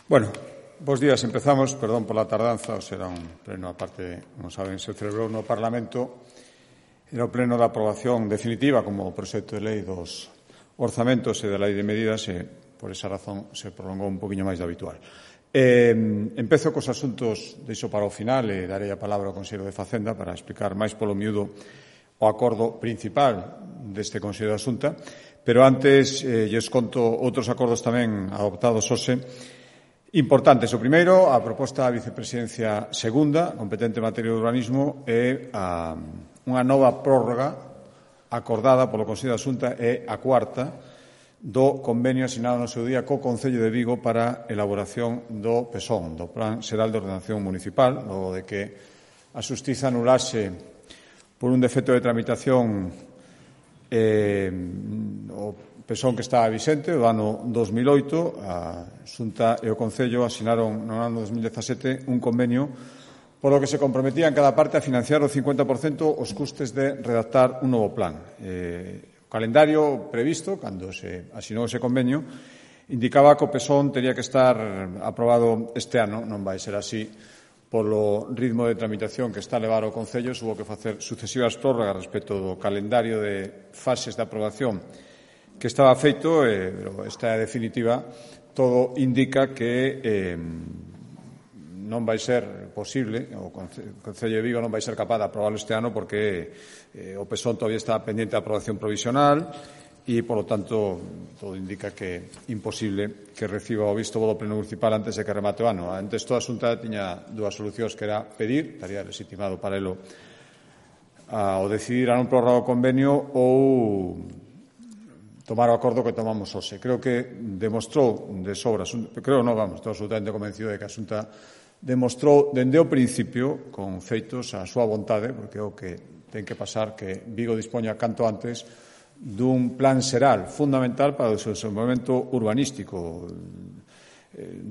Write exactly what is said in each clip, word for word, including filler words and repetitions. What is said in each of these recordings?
Bueno, bos días. Empezamos, perdón por la tardanza, o será un pleno, aparte, como saben, se celebrou no Parlamento, era o pleno da aprobación definitiva como proxecto de lei dos orzamentos e da lei de medidas e, por esa razón, se prolongou un poquinho máis do habitual. Eh, empezo cos asuntos, deixo para o final e darei a palabra ao Consello de Facenda para explicar máis polo miúdo o acordo principal deste Consello de Asunta, pero antes eh, lles conto outros acordos tamén adoptados hoxe importantes. O primeiro, a proposta da vicepresidencia segunda, competente en materia de urbanismo, é a, unha nova prórroga acordada polo Consello de Asunta e a cuarta do convenio asinado no seu día co Concello de Vigo para a elaboración do PESON, do Plan Xeral de Ordenación Municipal, logo de que a Xustiza anulase por un defecto de tramitación eh, o PESON que estaba vixente, o ano dos mil oito, a Xunta e o Concello asinaron no ano dos mil dezasete un convenio polo que se comprometía en cada parte a financiar o cincuenta por cento os custes de redactar un novo plan. Eh, o calendario previsto, cando se asinou ese convenio, indicaba que o PESON tería que estar aprobado este ano, non vai ser así, polo ritmo de tramitación que está a levar o Concello, hubo que facer sucesivas prórrogas respecto do calendario de fases de aprobación que estaba feito, eh, pero esta é definitiva. Todo indica que eh, non vai ser posible, o Concello de Vigo non vai ser capaz de aprobarlo este ano porque eh, o PESON todavía está pendiente de aprobación provisional e, por lo tanto, todo indica que é imposible que reciba o visto bo do Pleno Municipal antes de que remate o ano. Antes, toda a Xunta tiña dúas solucións, que era pedir, estaría legitimado para elo, a, o decidir a non prorrogar o convenio ou tomar o acordo que tomamos hoxe. Creo que demostrou de sobra, creo non, vamos, estou absolutamente convencido de que a Xunta demostrou dende o principio, con feitos, a súa vontade, porque é o que ten que pasar, que Vigo dispoña canto antes dun plan xeral fundamental para o desenvolvemento urbanístico.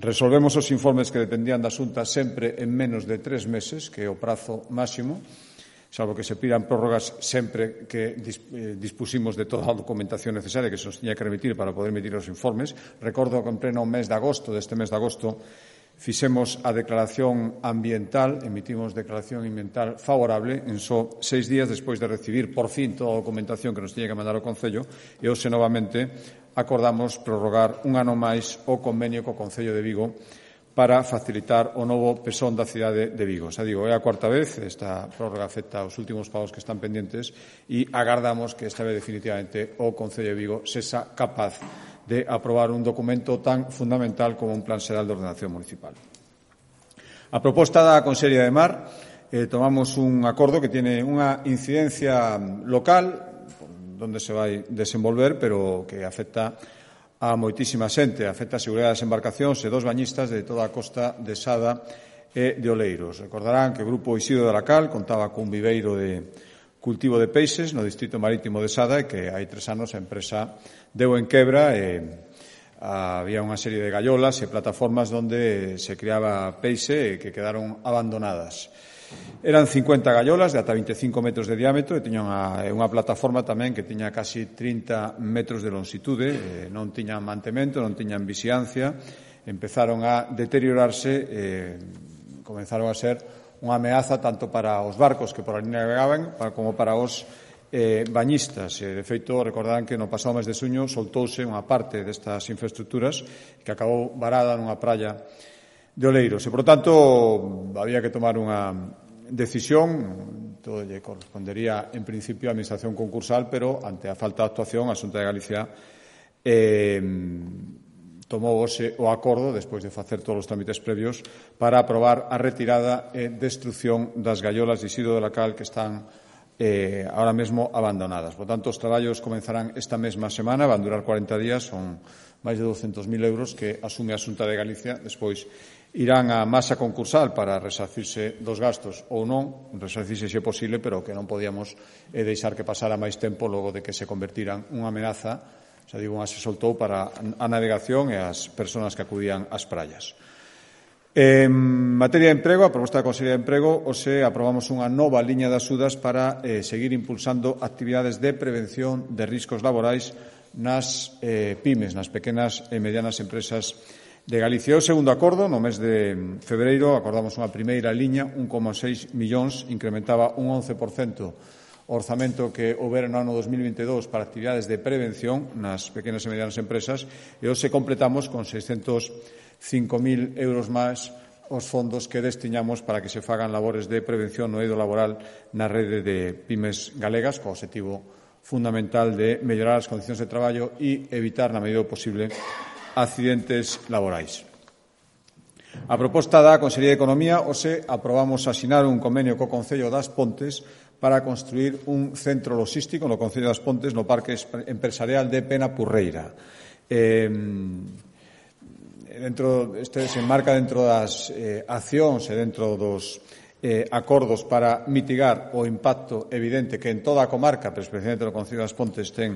Resolvemos os informes que dependían da Xunta sempre en menos de tres meses, que é o prazo máximo, salvo que se pidan prórrogas sempre que dispusimos de toda a documentación necesaria que se nos tiña que remitir para poder emitir os informes. Recordo que en pleno mes de agosto, deste mes de agosto, fixemos a declaración ambiental, emitimos declaración ambiental favorable en só seis días despois de recibir por fin toda a documentación que nos tiña que mandar o Concello, e hoxe novamente acordamos prorrogar un ano máis o convenio co Concello de Vigo para facilitar o novo PESON da cidade de Vigo. Xa digo, é a cuarta vez, esta prórroga afecta os últimos pagos que están pendentes e agardamos que esta vez definitivamente o Concello de Vigo sexa capaz de aprobar un documento tan fundamental como un Plan Xeral de Ordenación Municipal. A proposta da Consellería de Mar, eh, tomamos un acordo que tiene unha incidencia local, donde se vai desenvolver, pero que afecta a moitísima xente, afecta a seguridade das embarcacións e dos bañistas de toda a costa de Sada e de Oleiros. Recordarán que o Grupo Isidro de Aracal contaba cun viveiro de cultivo de peixes no distrito marítimo de Sada e que hai tres anos a empresa deu en quebra e había unha serie de gallolas e plataformas onde se criaba peixe e que quedaron abandonadas. Eran cincuenta gallolas de ata vinte e cinco metros de diámetro e tiña unha, unha plataforma tamén que tiña casi trinta metros de longitude, eh, non tiñan mantemento, non tiñan vixiancia, empezaron a deteriorarse e comenzaron a ser unha ameaza tanto para os barcos que por ali navegaban como para os eh, bañistas. E, de feito, recordarán que no pasado mes de xuño soltouse unha parte destas infraestructuras que acabou varada nunha praia de Oleiros. E, por tanto, había que tomar unha decisión, todo lle correspondería en principio á Administración concursal, pero ante a falta de actuación, a Xunta de Galicia eh, tomou hoxe o acordo, despois de facer todos os trámites previos, para aprobar a retirada e destrucción das gallolas de Isidro de Aracal que están eh, ahora mesmo abandonadas. Por tanto, os traballos comenzarán esta mesma semana, van durar cuarenta días, son máis de douscentos mil euros que asume a Xunta de Galicia, despois irán á masa concursal para resarcirse dos gastos ou non, resarcirse se é posible, pero que non podíamos eh, deixar que pasara máis tempo logo de que se convertiran unha amenaza, xa digo, unha se soltou para a navegación e as persoas que acudían ás praias. En materia de emprego, a proposta da Consellería de Emprego, hoxe aprobamos unha nova liña de axudas para eh, seguir impulsando actividades de prevención de riscos laborais nas eh, pymes, nas pequenas e medianas empresas de Galicia. O segundo acordo, no mes de febreiro, acordamos unha primeira liña, un coma seis millóns, incrementaba un once por cento o orzamento que houbera no ano dos mil vinte e dous para actividades de prevención nas pequenas e medianas empresas, e hoxe completamos con seiscentos cinco mil euros máis os fondos que destiñamos para que se fagan labores de prevención no eido laboral na rede de pymes galegas, co obxectivo fundamental de mellorar as condicións de traballo e evitar, na medida do posible, accidentes laborais. A proposta da Consellería de Economía, hoxe aprobamos asinar un convenio co Concello das Pontes para construir un centro logístico no Concello das Pontes no Parque Empresarial de Penapurreira. Eh, dentro, este se enmarca dentro das eh, accións e dentro dos eh, acordos para mitigar o impacto evidente que en toda a comarca, pero especialmente no Concello das Pontes, ten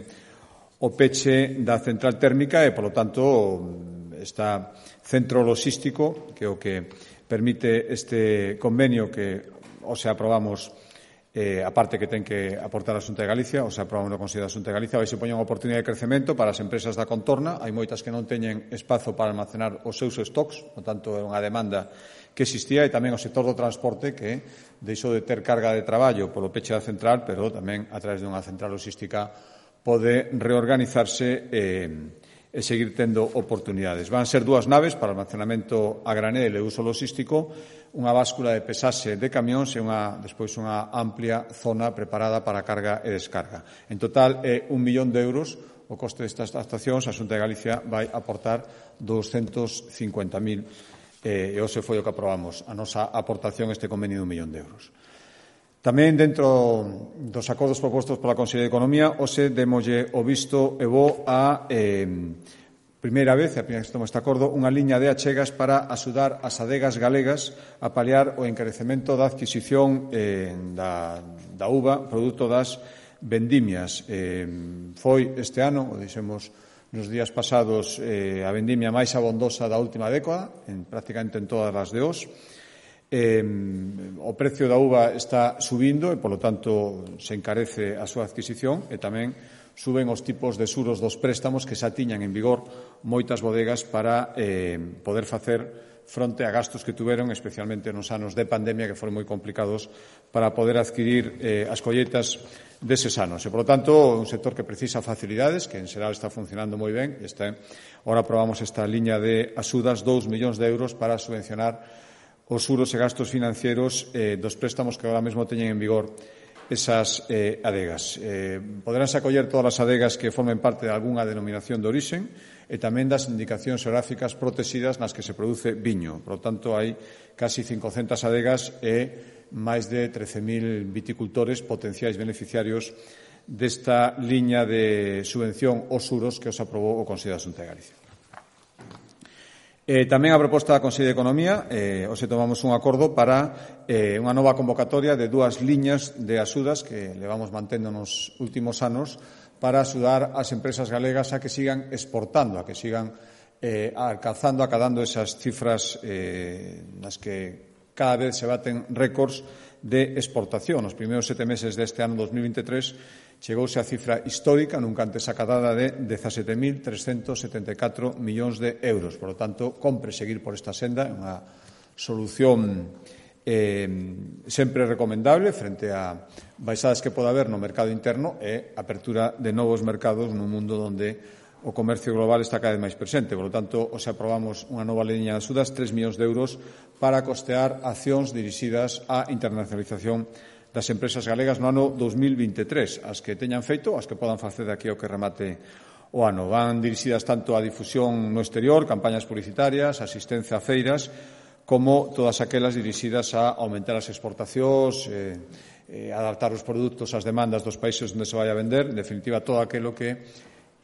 o peche da central térmica e, polo tanto, está centro logístico, que é o que permite este convenio que hoxe aprobamos, eh, a parte que ten que aportar a Xunta de Galicia, hoxe aprobamos no Consello da Xunta de Galicia, vai se poñer unha oportunidade de crecemento para as empresas da contorna. Hai moitas que non teñen espazo para almacenar os seus stocks, por tanto, é unha demanda que existía, e tamén o sector do transporte que deixou de ter carga de traballo polo peche da central, pero tamén a través dunha central logística pode reorganizarse e e seguir tendo oportunidades. Van ser dúas naves para almacenamento a granel e uso logístico, unha báscula de pesaxe de camións e unha, despois unha amplia zona preparada para carga e descarga. En total, é un millón de euros o coste destas actuacións. A Xunta de Galicia vai aportar doscientos cincuenta mil e hoxe foi o que aprobamos a nosa aportación a este convenio de un millón de euros. Tamén dentro dos acordos propostos pola Consellería de Economía, hoxe démolle o visto e bo a eh, primeira vez, a primeira vez que toma este acordo, unha liña de achegas para axudar as adegas galegas a paliar o encarecemento da adquisición eh, da, da uva, produto das vendimias. Eh, foi este ano, o dixemos nos días pasados, eh, a vendimia máis abondosa da última década, en, prácticamente en todas as de os. Eh, o precio da uva está subindo e, polo tanto, se encarece a súa adquisición e tamén suben os tipos de xuros dos préstamos que xa tiñan en vigor moitas bodegas para eh, poder facer fronte a gastos que tuveron, especialmente nos anos de pandemia, que foron moi complicados para poder adquirir eh, as colleitas deses anos. E, polo tanto, un sector que precisa facilidades, que en xeral está funcionando moi ben. Está, ahora aprobamos esta liña de axudas, dous millóns de euros para subvencionar os xuros e gastos financeiros eh, dos préstamos que agora mesmo teñen en vigor esas eh, adegas. Eh, poderánse acoller todas as adegas que formen parte de algunha denominación de orixen e tamén das indicacións geográficas protegidas nas que se produce viño. Por lo tanto, hai casi cincocentas adegas e máis de trece mil viticultores potenciais beneficiarios desta liña de subvención aos xuros que os aprobou o Consello da Xunta de Galicia. Eh, tamén a proposta da Consellería de Economía, eh, hoxe tomamos un acordo para eh, unha nova convocatoria de dúas liñas de axudas que levamos mantendo nos últimos anos para axudar as empresas galegas a que sigan exportando, a que sigan eh, alcanzando, acadando esas cifras eh, nas que cada vez se baten récords de exportación. Nos primeiros sete meses deste ano dos mil veintitrés chegouse a cifra histórica, nunca antes acadada, de dezasete mil trescentos setenta e catro millóns de euros. Por lo tanto, compre seguir por esta senda, unha solución eh, sempre recomendable frente a baixadas que pode haber no mercado interno e apertura de novos mercados nun mundo onde o comercio global está cada vez máis presente. Por lo tanto, hoxe aprobamos unha nova liña de axudas, tres millóns de euros, para costear accións dirixidas á internacionalización das empresas galegas no ano dos mil veintitrés, as que teñan feito, as que podan facer de aquí ao que remate o ano. Van dirixidas tanto á difusión no exterior, campañas publicitarias, asistencia a feiras, como todas aquelas dirixidas a aumentar as exportacións, eh, eh, adaptar os produtos ás demandas dos países onde se vai a vender, en definitiva, todo aquilo que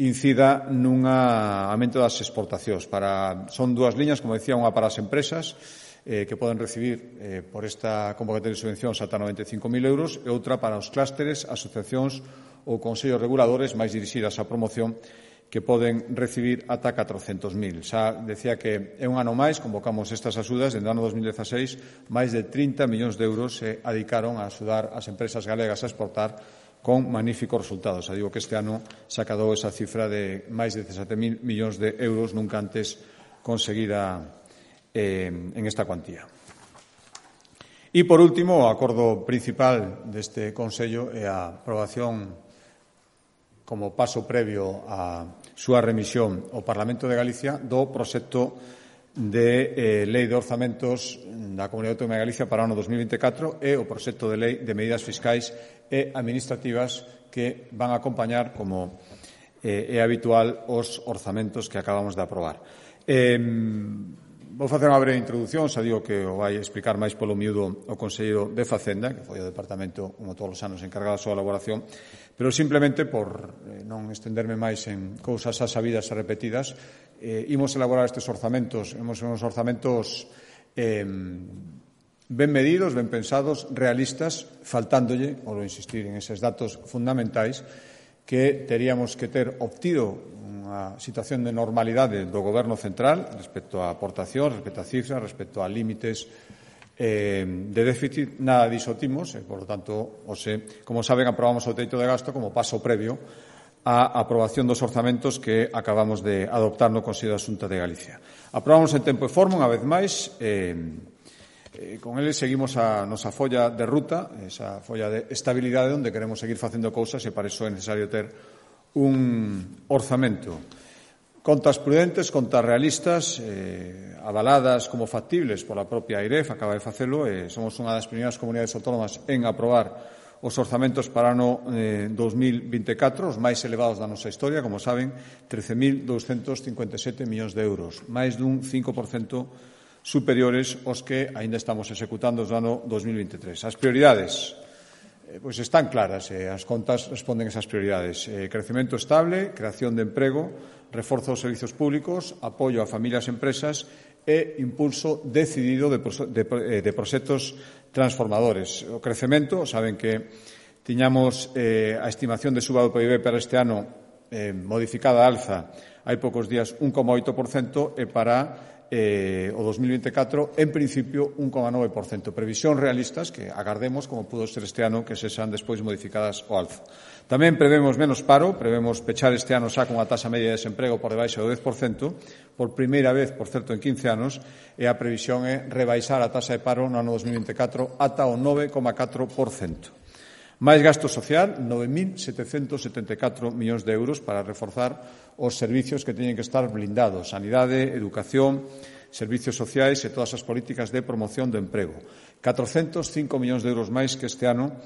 incida nun aumento das exportacións. Para, son dúas liñas, como decía, unha para as empresas, eh, que poden recibir eh, por esta convocatoria de subvencións ata noventa e cinco mil euros, e outra para os clústeres, asociacións ou consellos reguladores máis dirixidas á promoción, que poden recibir ata catrocentos mil. Xa decía que é un ano máis, convocamos estas axudas, dende o ano dos mil dezaseis, máis de trinta millóns de euros se adicaron a axudar as empresas galegas a exportar con magníficos resultados. Xa digo que este ano se acadou esa cifra de máis de dezasete mil millóns de euros, nunca antes conseguida eh, en esta cuantía. E, por último, o acordo principal deste Consello é a aprobación como paso previo á súa remisión ao Parlamento de Galicia do proxecto de eh, Lei de Orzamentos da Comunidade Autónoma de Galicia para o ano dos mil vinte e catro e o proxecto de Lei de Medidas Fiscais e Administrativas que van a acompañar, como eh, é habitual, os orzamentos que acabamos de aprobar. Eh, Vou facer unha breve introdución, xa digo que o vai explicar máis polo miúdo o Conselleiro de Facenda, que foi o departamento, como todos os anos, encargado da súa elaboración, pero simplemente, por eh, non estenderme máis en cousas xa sabidas e repetidas, eh, imos elaborar estes orzamentos, imos uns orzamentos eh, ben medidos, ben pensados, realistas, faltándolle, por insistir en eses datos fundamentais, que teríamos que ter obtido unha situación de normalidade do Goberno central respecto a aportación, respecto a cifras, respecto a límites eh, de déficit. Nada diso timos e, por lo tanto, ose, como saben, aprobamos o teito de gasto como paso previo á aprobación dos orzamentos que acabamos de adoptar no Consello da Xunta de Galicia. Aprobamos en tempo e forma, unha vez máis. Eh, eh, con eles seguimos a nosa folla de ruta, esa folla de estabilidade onde queremos seguir facendo cousas e para iso é necesario ter un orzamento. Contas prudentes, contas realistas, eh, avaladas como factibles pola propia AIREF, acaba de facelo, e somos unha das primeiras comunidades autónomas en aprobar os orzamentos para o ano eh, dos mil vinte e catro, os máis elevados da nosa historia, como saben, trece mil douscentos cincuenta e sete millóns de euros, máis dun cinco por cento superiores aos que aínda estamos executando do ano dos mil vinte e tres. As prioridades pois están claras, eh, as contas responden a esas prioridades. Eh, crecemento estable, creación de emprego, reforzo dos servizos públicos, apoio a familias e empresas e impulso decidido de, de, de proxectos transformadores. O crecemento, saben que tiñamos eh, a estimación de suba do P I B para este ano eh, modificada a alza hai poucos días un coma oito por cento e para Eh, o dos mil vinte e catro, en principio, un coma nove por cento. Previsións realistas que agardemos, como pudo ser este ano, que se sean despois modificadas ao alza. Tamén prevemos menos paro, prevemos pechar este ano xa con a taxa media de desemprego por debaixo do dez por cento, por primeira vez, por certo, en quince anos, e a previsión é rebaixar a taxa de paro no ano dos mil vinte e catro ata o nove coma catro por cento. Máis gasto social, nove mil setecentos setenta e catro millóns de euros para reforzar os servicios que teñen que estar blindados, sanidade, educación, servicios sociais e todas as políticas de promoción do emprego. catrocentos cinco millóns de euros máis que este ano,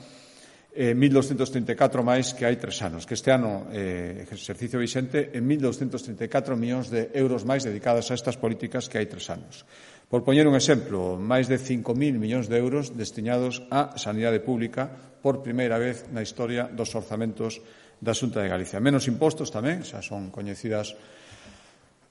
eh, mil doscientos trinta e catro máis que hai tres anos. Que este ano, eh, exercicio vixente, en mil doscientos trinta e catro millóns de euros máis dedicados a estas políticas que hai tres anos. Por poñer un exemplo, máis de cinco mil millóns de euros destinados á sanidade pública por primeira vez na historia dos orzamentos da Xunta de Galicia. Menos impostos tamén, xa son coñecidas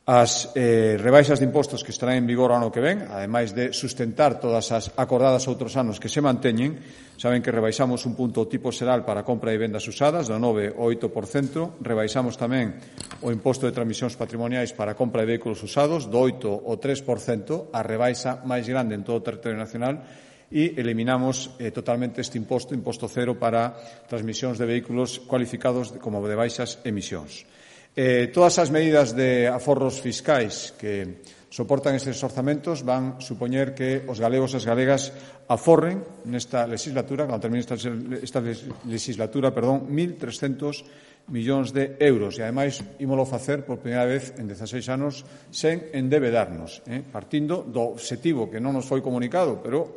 as eh, rebaixas de impostos que estarán en vigor o ano que ven, ademais de sustentar todas as acordadas outros anos que se manteñen. Saben que rebaixamos un punto o tipo xeral para compra e vendas usadas, do nove ao oito por cento. Rebaixamos tamén o imposto de transmisións patrimoniais para compra de vehículos usados, do oito ao tres por cento, a rebaixa máis grande en todo o territorio nacional, e eliminamos eh, totalmente este imposto, imposto cero para transmisións de vehículos cualificados como de baixas emisións. Eh, todas as medidas de aforros fiscais que soportan estes orzamentos van supoñer que os galegos e as galegas aforren nesta legislatura, cando termine esta, esta legislatura, perdón, mil trescentos millóns de euros, e ademais ímolo facer por primeira vez en dezaseis anos sen endebedarnos, eh, partindo do obxectivo que non nos foi comunicado, pero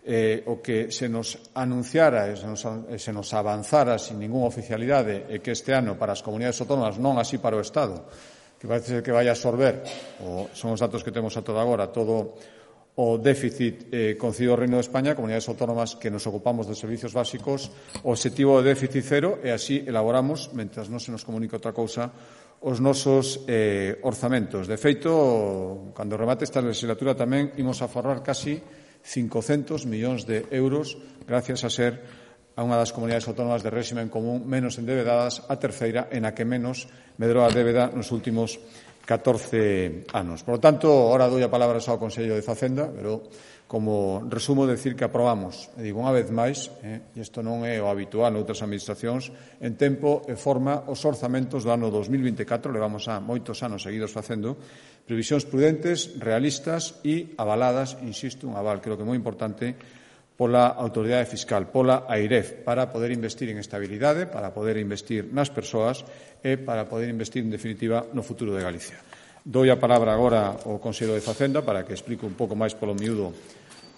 Eh, o que se nos anunciara e se nos, se nos avanzara sin ninguna oficialidade e que este ano para as comunidades autónomas, non así para o Estado, que parece que vai a absorber, o son os datos que temos a toda agora, todo o déficit eh, concedido ao Reino de España, comunidades autónomas que nos ocupamos de servicios básicos, o obxectivo de déficit cero, e así elaboramos, mentras non se nos comunica outra cousa, os nosos eh, orzamentos. De feito, cando remate esta legislatura tamén imos a aforrar casi cincocentos millóns de euros gracias a ser a unha das comunidades autónomas de réxime común menos endebedadas, a terceira en a que menos medrou a débeda nos últimos catorce anos. Por lo tanto, ahora doy a palabra ao Consello de Facenda, pero como resumo decir que aprobamos, e digo unha vez máis, eh, e isto non é o habitual noutras administracións, en tempo e forma os orzamentos do ano dos mil vinte e catro, levamos a moitos anos seguidos facendo, previsións prudentes, realistas e avaladas, insisto, un aval creo que moi importante, pola Autoridade Fiscal, pola AIREF, para poder investir en estabilidade, para poder investir nas persoas e para poder investir, en definitiva, no futuro de Galicia. Doi a palabra agora ao Consello de Facenda para que explique un pouco máis polo miúdo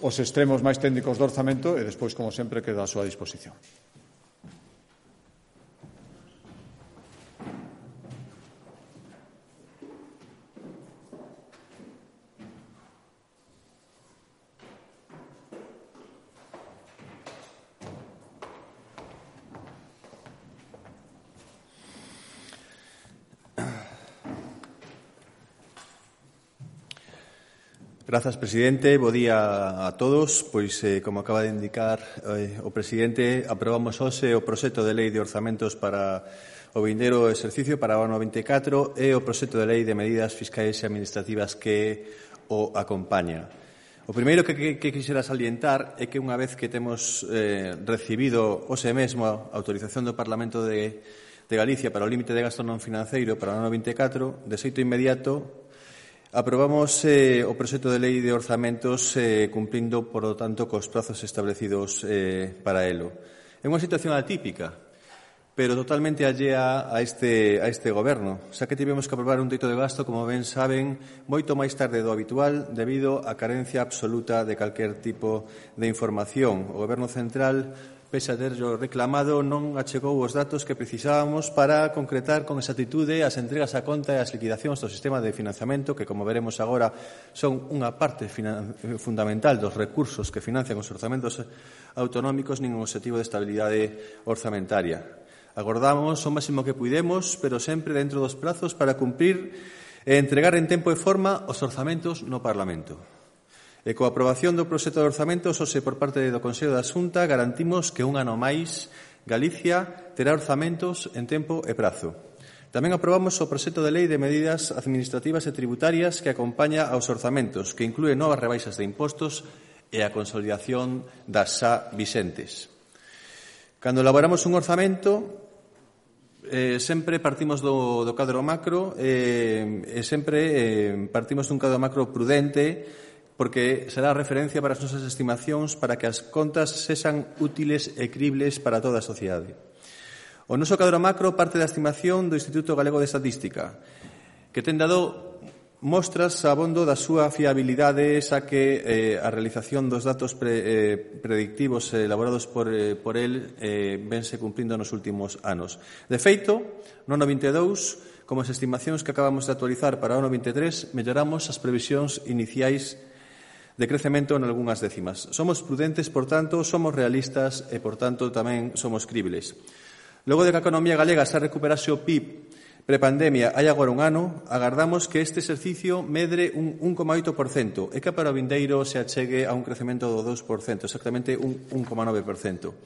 os extremos máis técnicos do orzamento e despois, como sempre, quedo á súa disposición. Grazas, presidente. Bo día a todos. Pois, eh, como acaba de indicar eh, o presidente, aprobamos hoxe o proxecto de lei de orzamentos para o vindeiro exercicio para o ano vinte e catro e o proxecto de lei de medidas fiscais e administrativas que o acompaña. O primeiro que, que, que quixera salientar é que unha vez que temos eh, recibido hoxe mesmo a autorización do Parlamento de, de Galicia para o límite de gasto non financeiro para o ano vinte e catro, de xeito inmediato aprobamos eh, o proxecto de lei de orzamentos eh, cumplindo, por lo tanto, cos prazos establecidos eh, para elo. É unha situación atípica, pero totalmente allea a este, a este goberno, xa que tivemos que aprobar un teito de gasto, como ben saben, moito máis tarde do habitual debido á carencia absoluta de calquer tipo de información. O Goberno Central, pese a terlo reclamado, non achegou os datos que precisábamos para concretar con exactitude as entregas a conta e as liquidacións do sistema de financiamento, que, como veremos agora, son unha parte fundamental dos recursos que financian os orzamentos autonómicos nin un objetivo de estabilidade orzamentaria. Agordamos o máximo que puidemos, pero sempre dentro dos prazos para cumprir e entregar en tempo e forma os orzamentos no Parlamento. E coa aprobación do proxecto de orzamentos, hoxe por parte do Consello da Xunta, garantimos que un ano máis Galicia terá orzamentos en tempo e prazo. Tamén aprobamos o proxecto de lei de medidas administrativas e tributarias que acompaña aos orzamentos, que inclúe novas rebaixas de impostos e a consolidación das xa vixentes. Cando elaboramos un orzamento, Eh, sempre partimos do, do cadro macro eh, e sempre eh, partimos dun cadro macro prudente porque será referencia para as nosas estimacións para que as contas sexan útiles e cribles para toda a sociedade. O noso cadro macro parte da estimación do Instituto Galego de Estatística, que ten dado mostras abondo da súa fiabilidade, xa que eh, a realización dos datos pre, eh, predictivos elaborados por, eh, por el eh, vense cumprindo nos últimos anos. De feito, no ano vinte e dous, como as estimacións que acabamos de actualizar para o ano vinte e tres, melloramos as previsións iniciais de crecemento en algunhas décimas. Somos prudentes, por tanto, somos realistas e, por tanto, tamén somos cribles. Logo de que a economía galega xa recuperase o P I B prepandemia hai agora un ano, agardamos que este exercicio medre un un coma oito por cento e que para o vindeiro se achegue a un crecemento do dous por cento, exactamente un un coma nove por cento.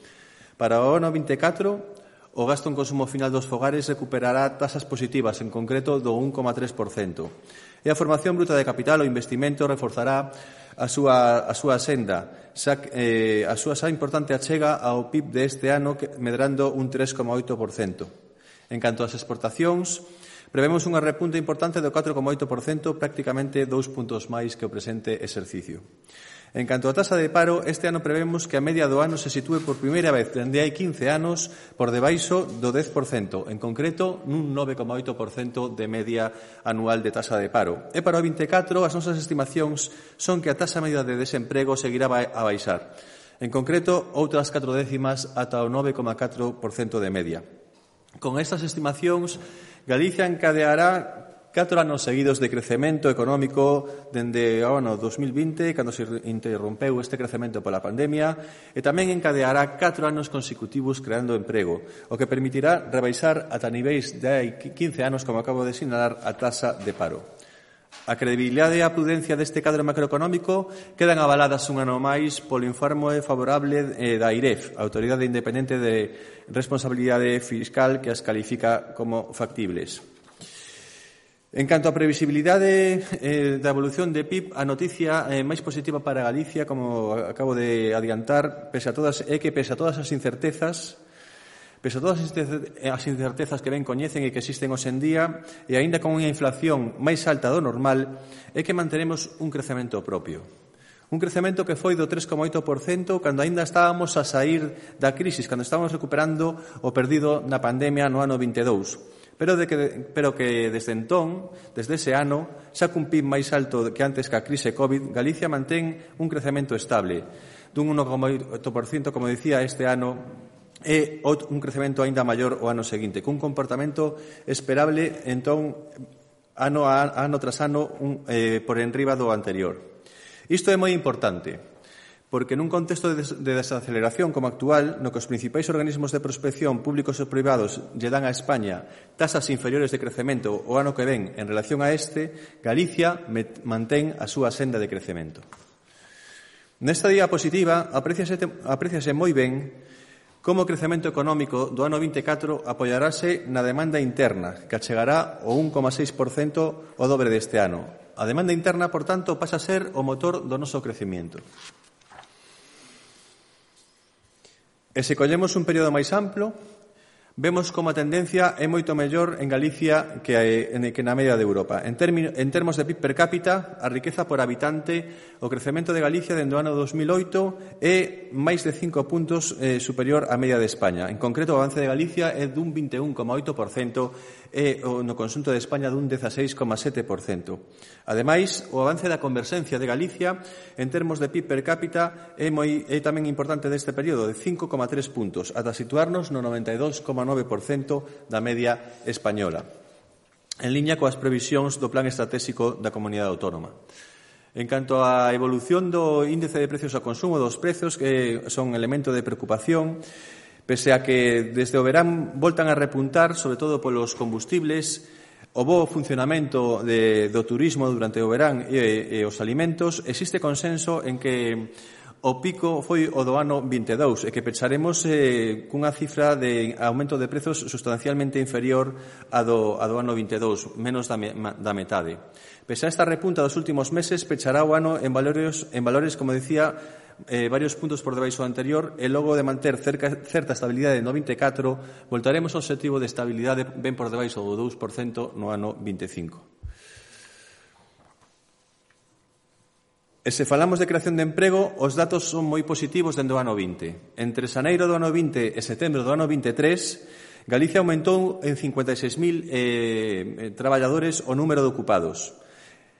Para o ano vinte e catro, o gasto en consumo final dos fogares recuperará tasas positivas, en concreto do un coma tres por cento. E a formación bruta de capital, o investimento, reforzará a súa, a súa senda, xa, eh, a súa xa importante achega ao P I B deste ano, medrando un tres coma oito por cento. En canto ás exportacións, prevemos unha repunta importante do catro coma oito por cento, prácticamente dous puntos máis que o presente exercicio. En canto á tasa de paro, este ano prevemos que a media do ano se sitúe por primeira vez dende hai quince anos por debaixo do dez por cento, en concreto nun nove coma oito por cento de media anual de tasa de paro. E para o vinte e catro, as nosas estimacións son que a tasa media de desemprego seguirá a baixar. En concreto, outras catro décimas ata o nove coma catro por cento de media. Con estas estimacións, Galicia encadeará catro anos seguidos de crecemento económico dende o ano dos mil vinte, cando se interrompeu este crecemento pola pandemia, e tamén encadeará catro anos consecutivos creando emprego, o que permitirá rebaixar ata niveis de hai quince anos, como acabo de sinalar, a taxa de paro. A credibilidade e a prudencia deste cadro macroeconómico quedan avaladas un ano máis polo informe favorable da AIREF, a Autoridade Independente de Responsabilidade Fiscal, que as califica como factibles. En canto á previsibilidade eh, da evolución de P I B, a noticia eh, máis positiva para Galicia, como acabo de adiantar, pese a todas, é que pese a todas as incertezas, pese a todas as incertezas que ben coñecen e que existen hoxe en día, e aínda con unha inflación máis alta do normal, é que manteremos un crecemento propio. Un crecemento que foi do tres coma oito por cento cando aínda estábamos a sair da crisis, cando estábamos recuperando o perdido na pandemia no ano vinte e dous. Pero, de que, pero que desde entón, desde ese ano, xa cun P I B máis alto que antes que a crise COVID, Galicia mantén un crecemento estable dun un coma oito por cento, como dicía, este ano, e un crecemento aínda maior o ano seguinte, cun comportamento esperable, entón, ano a ano tras ano, un, eh, por enriba do anterior. Isto é moi importante, porque nun contexto de desaceleración como actual, no que os principais organismos de prospección públicos e privados lle dan a España tasas inferiores de crecemento o ano que ven en relación a este, Galicia mantén a súa senda de crecemento. Nesta diapositiva apreciase, apreciase moi ben como o crecemento económico do ano vinte e catro apoiarase na demanda interna, que achegará o un coma seis por cento o dobre deste ano. A demanda interna, por tanto, pasa a ser o motor do noso crecemento. E se collemos un período máis amplo, vemos como a tendencia é moito mellor en Galicia que, que na media de Europa. En, termino, en termos de P I B per cápita, a riqueza por habitante, o crecemento de Galicia dende o ano dos mil oito é máis de cinco puntos eh, superior á media de España. En concreto, o avance de Galicia é dun vinte e un coma oito por cento e no conxunto de España dun dezaseis coma sete por cento. Ademais, o avance da converxencia de Galicia en termos de P I B per cápita é, moi, é tamén importante deste período, de cinco coma tres puntos, ata situarnos no noventa e dous coma nove por cento da media española, en liña coas previsións do Plan Estratégico da Comunidade Autónoma. En canto á evolución do índice de precios ao consumo, dos prezos, que son elemento de preocupación, pese a que desde o verán voltan a repuntar, sobre todo polos combustibles, o bo funcionamento de, do turismo durante o verán e, e os alimentos, existe consenso en que o pico foi o do ano vinte e dous e que pecharemos eh, cunha cifra de aumento de prezos sustancialmente inferior a do, a do ano vinte e dous, menos da, me, da metade. Pese a esta repunta dos últimos meses, pechará o ano en valores, en valores como decía, eh, varios puntos por debaixo do anterior e logo de manter cerca, certa estabilidade no vinte e catro, voltaremos ao obxectivo de estabilidade ben por debaixo do dous por cento no ano vinte e cinco. E se falamos de creación de emprego, os datos son moi positivos dende o ano vinte. Entre xaneiro do ano vinte e setembro do ano vinte e tres, Galicia aumentou en cincuenta e seis mil eh, traballadores o número de ocupados.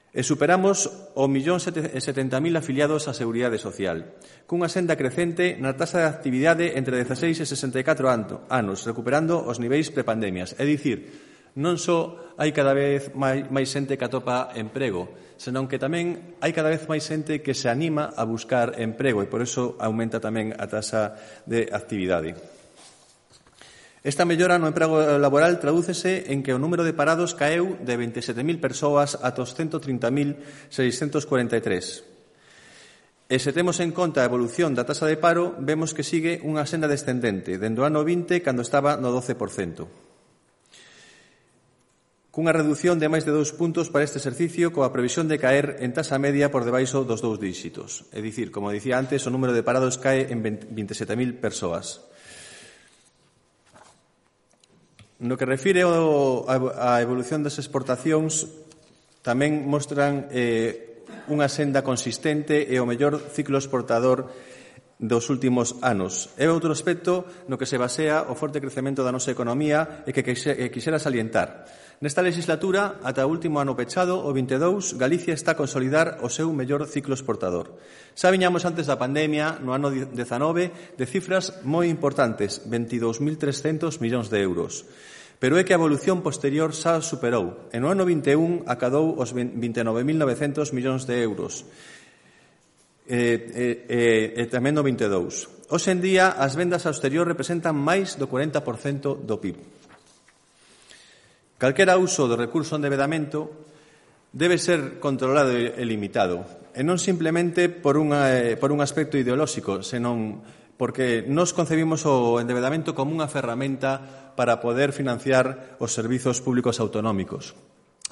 E superamos o millón setenta mil afiliados á Seguridade Social, cunha senda crecente na taxa de actividade entre dezaseis e sesenta e catro anos, recuperando os niveis prepandemias. É dicir, non só hai cada vez máis, máis xente que atopa emprego, senón que tamén hai cada vez máis xente que se anima a buscar emprego e por iso aumenta tamén a taxa de actividade. Esta mellora no emprego laboral tradúcese en que o número de parados caeu de vinte e sete mil persoas ata os ciento trinta mil seiscentos cuarenta e tres. E se temos en conta a evolución da taxa de paro, vemos que sigue unha senda descendente, dende o ano vinte, cando estaba no doce por cento. Cunha reducción de máis de dous puntos para este exercicio, coa previsión de caer en taxa media por debaixo dos dous díxitos. É dicir, como dicía antes, o número de parados cae en vinte e sete mil persoas. No que refire á evolución das exportacións, tamén mostran eh, unha senda consistente e o mellor ciclo exportador dos últimos anos. É outro aspecto no que se basea o forte crecemento da nosa economía e que quixera salientar. Nesta legislatura, ata o último ano pechado, o vinte e dous, Galicia está a consolidar o seu mellor ciclo exportador. Xa viñamos antes da pandemia, no ano dezanove, de cifras moi importantes, veintidós mil trescentos millóns de euros. Pero é que a evolución posterior xa superou. En o ano vinte e un acadou os vinte e nove mil novecentos millóns de euros. E, e, e tamén no vinte e dous. Hoxe en día, as vendas ao exterior representan máis do corenta por cento do P I B. Calquera uso do recurso de endeudamento debe ser controlado e limitado, e non simplemente por, unha, por un aspecto ideolóxico, senón porque nos concebimos o endeudamento como unha ferramenta para poder financiar os servizos públicos autonómicos.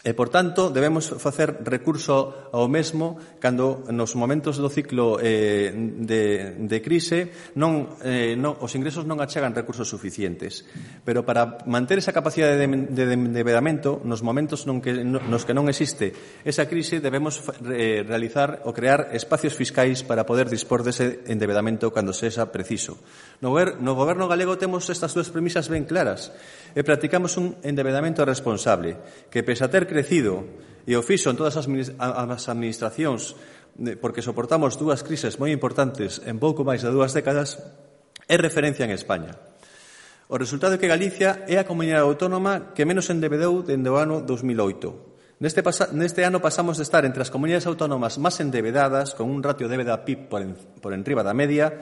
E, por tanto, debemos facer recurso ao mesmo cando nos momentos do ciclo eh, de, de crise non, eh, non, os ingresos non achegan recursos suficientes. Pero para manter esa capacidade de, de, de endeudamento, nos momentos non que, nos que non existe esa crise, debemos eh, realizar ou crear espacios fiscais para poder dispor dese endeudamento cando sexa preciso. No, no goberno galego temos estas dúas premisas ben claras e practicamos un endeudamento responsable que, pese a ter crecido e o fixo en todas as administracións porque soportamos dúas crises moi importantes en pouco máis de dúas décadas, é referencia en España. O resultado é que Galicia é a comunidade autónoma que menos endeudou dende o ano dos mil oito. Neste, pasa, neste ano pasamos de estar entre as comunidades autónomas máis endebedadas, con un ratio débeda P I B por, en, por enriba da media,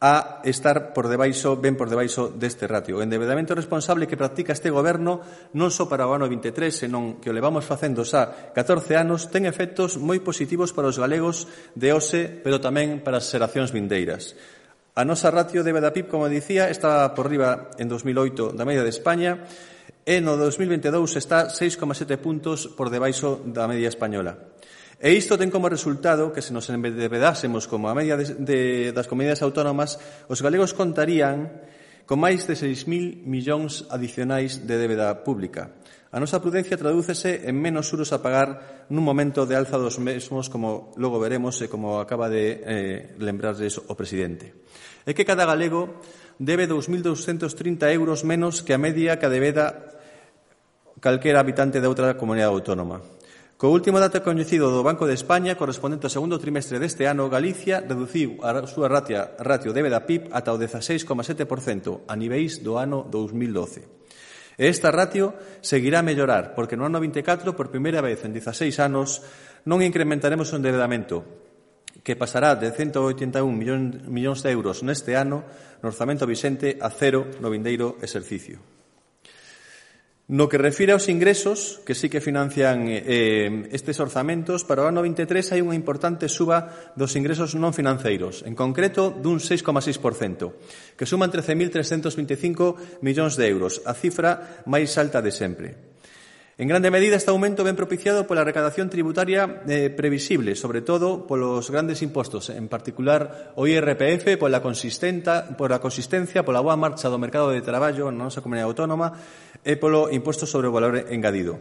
a estar por debaixo, ben por debaixo deste ratio. O endebedamento responsable que practica este goberno non só para o ano vinte e tres, senón que o levamos facendo xa catorce anos, ten efectos moi positivos para os galegos de hoxe, pero tamén para as xeracións vindeiras. A nosa ratio débeda P I B, como dicía, está por riba en dos mil oito da media de España e no dos mil vinte e dous está seis coma sete puntos por debaixo da media española. E isto ten como resultado que, se nos endebedásemos como a media de, de, das comunidades autónomas, os galegos contarían con máis de seis mil millóns adicionais de débeda pública. A nosa prudencia tradúcese en menos xuros a pagar nun momento de alza dos mesmos, como logo veremos e como acaba de eh, lembrarles o presidente. É que cada galego debe dous mil douscentos trinta euros menos que a media que debeda calquera habitante de outra comunidade autónoma. Co último dato coñecido do Banco de España, correspondente ao segundo trimestre deste ano, Galicia reduciu a súa ratio, ratio débeda P I B ata o dezaseis coma sete por cento a niveis do ano dos mil doce. E esta ratio seguirá a mellorar, porque no ano vinte e catro, por primeira vez en dezaseis anos, non incrementaremos o endebedamento, que pasará de cento oitenta e un millóns de euros neste ano no orzamento vixente a cero no vindeiro exercicio. No que refire aos ingresos, que sí que financian eh, estes orzamentos, para o ano vinte e tres hai unha importante suba dos ingresos non financeiros, en concreto dun seis coma seis por cento, que suman trece mil trescentos vinte e cinco millóns de euros, a cifra máis alta de sempre. En grande medida, este aumento ven propiciado pola recadación tributaria eh, previsible, sobre todo polos grandes impostos, en particular o I R P F, pola, pola consistencia, pola boa marcha do mercado de traballo na nosa comunidade autónoma e polo imposto sobre o valor engadido.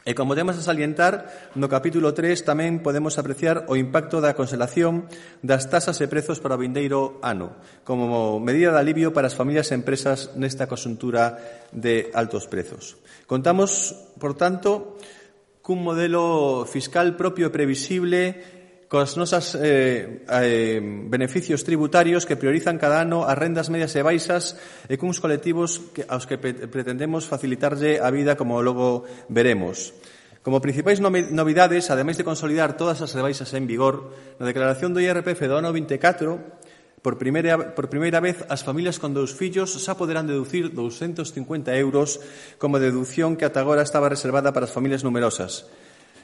E como temos a salientar, no capítulo tres tamén podemos apreciar o impacto da conselación das tasas e prezos para o vindeiro ano, como medida de alivio para as familias e empresas nesta conxuntura de altos prezos. Contamos, por tanto, cun modelo fiscal propio e previsible, cos nosas eh, eh, beneficios tributarios que priorizan cada ano as rendas medias e baixas e cuns colectivos que, aos que pretendemos facilitarlle a vida, como logo veremos. Como principais novidades, ademais de consolidar todas as rebaixas en vigor, na declaración do I R P F do ano vinte e catro, por primeira, por primeira vez, as familias con dous fillos xa poderán deducir douscentos cincuenta euros como deducción que ata agora estaba reservada para as familias numerosas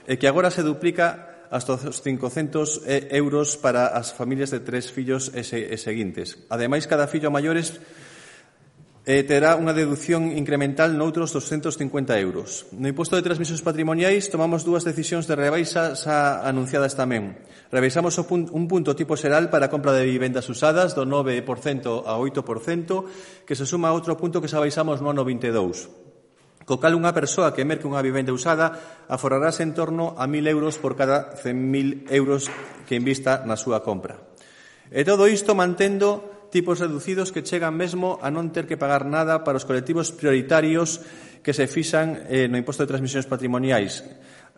e que agora se duplica hasta os cincocentos euros para as familias de tres fillos e, se, e seguintes. Ademais, cada fillo maiores eh, terá unha deducción incremental noutros doscentos cincuenta euros. No imposto de transmisións patrimoniais tomamos dúas decisións de rebaixa xa anunciadas tamén. Rebaixamos o pun, un punto tipo xeral para a compra de vivendas usadas do nove por cento a oito por cento, que se suma a outro punto que xa baixamos no ano vinte e dous. Co cal unha persoa que merque unha vivenda usada aforrarase en torno a mil euros por cada cen mil euros que invista na súa compra. E todo isto mantendo tipos reducidos que chegan mesmo a non ter que pagar nada para os colectivos prioritarios que se fixan eh, no imposto de transmisións patrimoniais,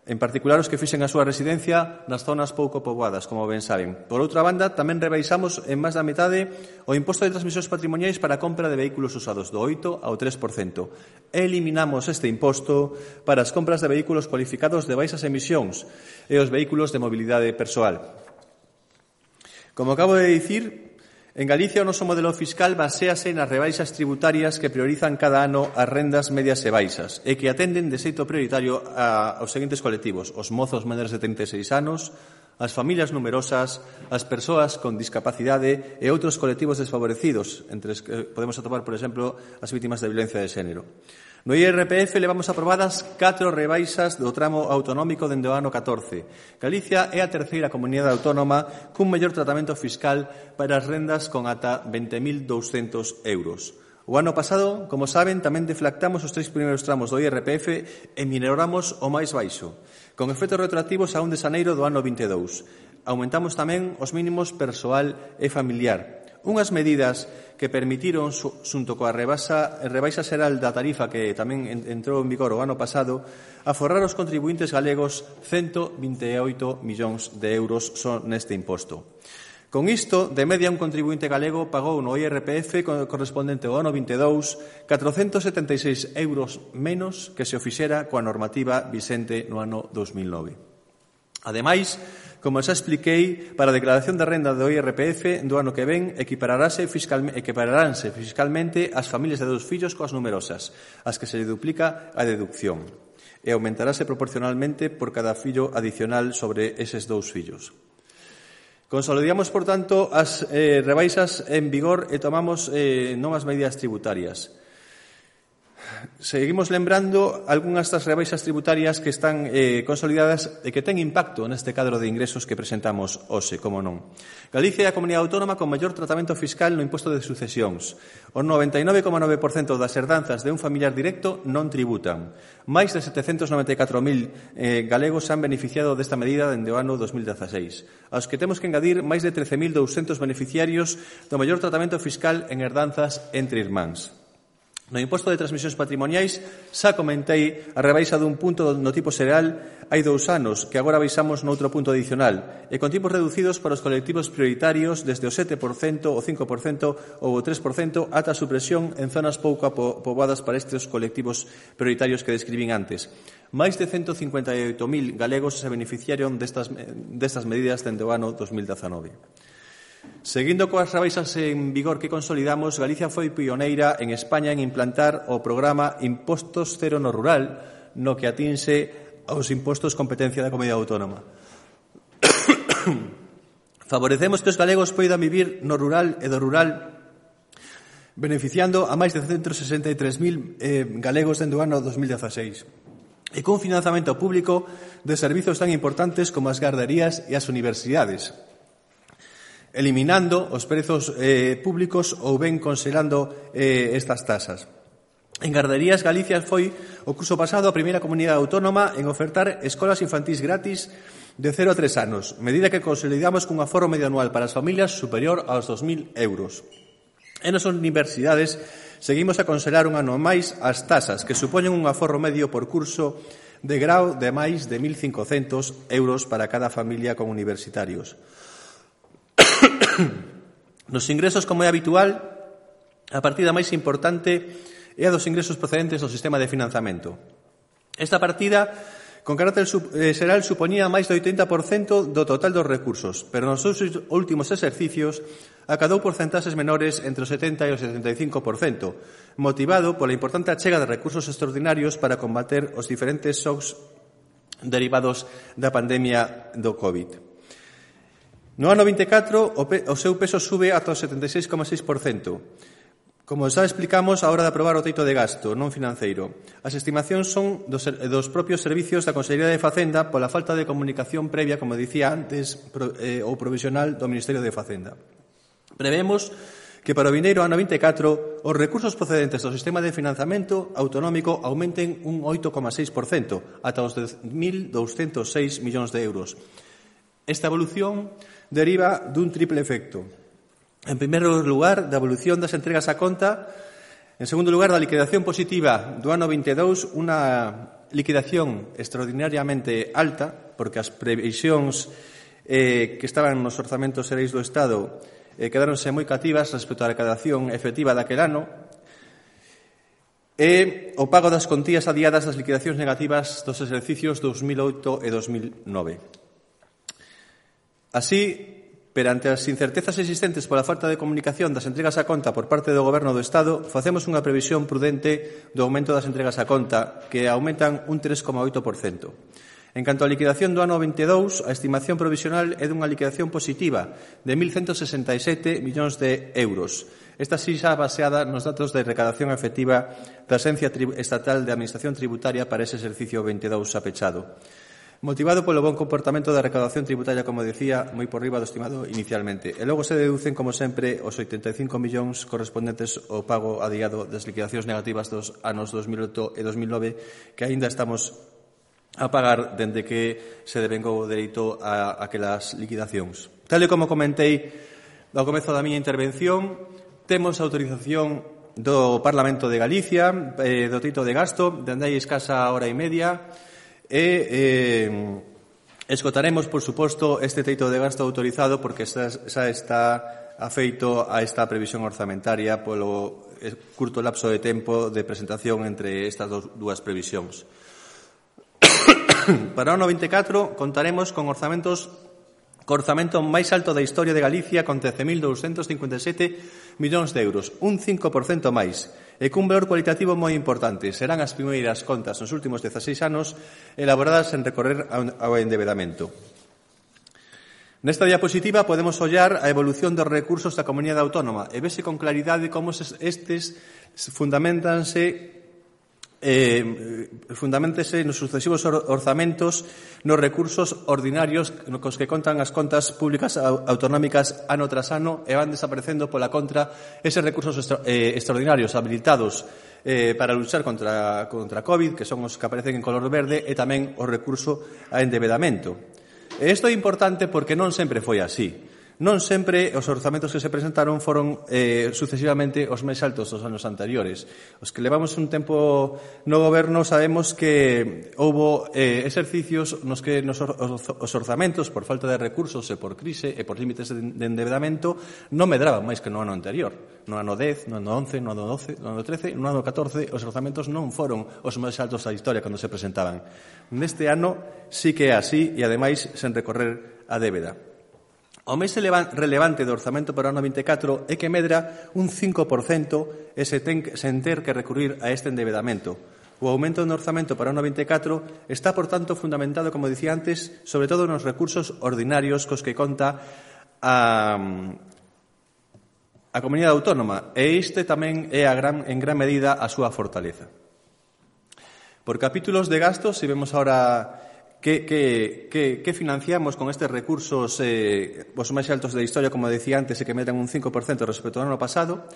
en particular os que fixen a súa residencia nas zonas pouco poboadas, como ben saben. Por outra banda, tamén rebaixamos en máis da metade o imposto de transmisións patrimoniais para a compra de vehículos usados do oito ao tres por cento. Eliminamos este imposto para as compras de vehículos cualificados de baixas emisións e os vehículos de mobilidade persoal. Como acabo de dicir, en Galicia o noso modelo fiscal baséase nas rebaixas tributarias que priorizan cada ano as rendas medias e baixas e que atenden de xeito prioritario a, aos seguintes colectivos: os mozos menores de trinta e seis anos, as familias numerosas, as persoas con discapacidade e outros colectivos desfavorecidos, entre os que podemos atopar, por exemplo, as vítimas de violencia de xénero. No I R P F levamos aprobadas catro rebaixas do tramo autonómico dende o ano catorce. Galicia é a terceira comunidade autónoma cun mellor tratamento fiscal para as rendas con ata vinte mil douscentos euros. O ano pasado, como saben, tamén deflactamos os tres primeiros tramos do I R P F e minoramos o máis baixo, con efectos retroactivos a un de xaneiro do ano vinte e dous. Aumentamos tamén os mínimos persoal e familiar. Unhas medidas que permitiron, xunto coa rebaixa, rebaixa xeral da tarifa que tamén entrou en vigor o ano pasado, aforrar os contribuintes galegos ciento vinte e oito millóns de euros son neste imposto. Con isto, de media, un contribuinte galego pagou no I R P F correspondente ao ano vinte e dous catrocentos setenta e seis euros menos que se o fixera coa normativa vixente no ano dos mil nove. Ademais, como xa expliquei, para a declaración de renda do I R P F do ano que ven equipararase fiscalmente, equipararánse fiscalmente as familias de dous fillos coas numerosas, as que se lle duplica a deducción, e aumentarase proporcionalmente por cada fillo adicional sobre eses dous fillos. Consolidamos, por tanto, as eh, rebaixas en vigor e tomamos eh, novas medidas tributarias. Seguimos lembrando algunhas das rebaixas tributarias que están eh, consolidadas e que ten impacto neste cadro de ingresos que presentamos hoxe, como non. Galicia é a comunidade autónoma con maior tratamento fiscal no imposto de sucesións. O noventa e nove coma nove por cento das herdanzas de un familiar directo non tributan. Máis de setecentos noventa e catro mil eh, galegos se han beneficiado desta medida dende o ano dos mil dezaseis. Aos que temos que engadir máis de trece mil douscentos beneficiarios do maior tratamento fiscal en herdanzas entre irmáns. No imposto de transmisións patrimoniais xa comentei a rebaixa dun punto no tipo xeral hai dous anos, que agora baixamos noutro punto adicional, e con tipos reducidos para os colectivos prioritarios desde o sete por cento, o cinco por cento ou o tres por cento ata a supresión en zonas pouco poboadas para estes colectivos prioritarios que describín antes. Máis de ciento cincuenta e oito mil galegos se beneficiaron destas, destas medidas dende o ano dos mil dezanove. Seguindo coas rebaixas en vigor que consolidamos, Galicia foi pioneira en España en implantar o programa Impostos Cero no Rural, no que atinse aos impostos competencia da comunidade autónoma. Favorecemos que os galegos poidan vivir no rural e do rural, beneficiando a máis de ciento sesenta e tres mil eh, galegos dende o ano dos mil dezaseis. E con financiamento público de servizos tan importantes como as garderías e as universidades, eliminando os prezos eh, públicos ou ben conselando eh, estas tasas. En Garderías, Galicia foi o curso pasado a primeira comunidade autónoma en ofertar escolas infantís gratis de cero a tres anos, medida que consolidamos cun aforo medio anual para as familias superior aos dos mil euros. E nas universidades seguimos a congelar un ano máis as tasas, que supoñen un aforro medio por curso de grau de máis de mil cincocentos euros para cada familia con universitarios. Nos ingresos, como é habitual, a partida máis importante é a dos ingresos procedentes do sistema de financiamento. Esta partida, con carácter xeral, supoñía máis do oitenta por cento do total dos recursos, pero nos seus últimos exercicios acadou porcentaxes menores entre o setenta e o setenta e cinco por cento, motivado pola importante achega de recursos extraordinarios para combater os diferentes shocks derivados da pandemia do COVID. No ano vinte e catro, o, pe, o seu peso sube ata o setenta e seis coma seis por cento. Como xa explicamos a hora de aprobar o teito de gasto non financeiro, as estimacións son dos, dos propios servicios da Consellería de Facenda pola falta de comunicación previa, como dicía antes, pro, eh, ou provisional do Ministerio de Facenda. Prevemos que para o vindeiro ano vinte e catro os recursos procedentes do sistema de financiamento autonómico aumenten un oito coma seis por cento ata os dez mil douscentos seis millóns de euros. Esta evolución deriva dun triple efecto. En primeiro lugar, da evolución das entregas a conta. En segundo lugar, da liquidación positiva do ano vinte e dous, unha liquidación extraordinariamente alta, porque as previsións eh, que estaban nos orzamentos xerais do Estado eh, quedáronse moi cativas respecto á recadación efectiva daquel ano, e o pago das contías adiadas das liquidacións negativas dos exercicios dos mil oito e dos mil nove. Así, perante as incertezas existentes pola falta de comunicación das entregas a conta por parte do Goberno do Estado, facemos unha previsión prudente do aumento das entregas a conta, que aumentan un tres coma oito por cento. En canto á liquidación do ano vinte e dous, a estimación provisional é dunha liquidación positiva de mil ciento sesenta e sete millóns de euros. Esta sí xa baseada nos datos de recadación efectiva da Axencia Estatal de Administración Tributaria para ese exercicio vinte e dous xa pechado. Motivado polo bon comportamento da recaudación tributaria, como decía, moi por riba do estimado inicialmente. E logo se deducen, como sempre, os oitenta e cinco millóns correspondentes ao pago adiado das liquidacións negativas dos anos dos mil oito e dos mil nove, que aínda estamos a pagar dende que se devengou o dereito a aquelas liquidacións. Tal e como comentei ao comezo da miña intervención, temos a autorización do Parlamento de Galicia, eh, do teito de gasto, dende aí escasa hora e media, e eh, esgotaremos, por suposto, este teito de gasto autorizado porque xa, xa está afeito a esta previsión orzamentaria polo curto lapso de tempo de presentación entre estas dúas previsións. Para o ano vinte e catro contaremos con orzamentos co orzamento máis alto da historia de Galicia con trece mil douscentos cincuenta e sete millóns de euros, un cinco por cento máis, e cun valor cualitativo moi importante. Serán as primeiras contas nos últimos dezaseis anos elaboradas en recorrer ao endebedamento. Nesta diapositiva podemos ollar a evolución dos recursos da Comunidade Autónoma e vese con claridade como estes fundamentanse Eh, fundamentese nos sucesivos orzamentos nos recursos ordinarios cos que contan as contas públicas autonómicas ano tras ano e van desaparecendo pola contra eses recursos extra, eh, extraordinarios habilitados eh, para luchar contra, contra COVID, que son os que aparecen en color verde, e tamén o recurso a endebedamento. E isto é importante porque non sempre foi así. Non sempre os orzamentos que se presentaron foron eh, sucesivamente os máis altos dos anos anteriores. Os que levamos un tempo no goberno sabemos que houbo eh, exercicios nos que nos or, os orzamentos, por falta de recursos e por crise e por límites de, de endebedamento, non medraban máis que no ano anterior. No ano dez, no ano once, no ano doce, no ano trece, no ano catorce, os orzamentos non foron os máis altos da historia cando se presentaban. Neste ano sí que é así e, ademais, sen recorrer a débeda. O máis relevante do orzamento para o ano vinte e catro é que medra un cinco por cento e se ten, sen ter que recurrir a este endebedamento. O aumento do orzamento para o ano vinte e catro está, por tanto, fundamentado, como dicía antes, sobre todo nos recursos ordinarios cos que conta a, a Comunidade Autónoma, e este tamén é a gran, en gran medida a súa fortaleza. Por capítulos de gastos, se vemos ahora Que, que, que, que financiamos con estes recursos eh, os máis altos da historia, como decía antes, e que medran un cinco por cento respecto ao ano pasado.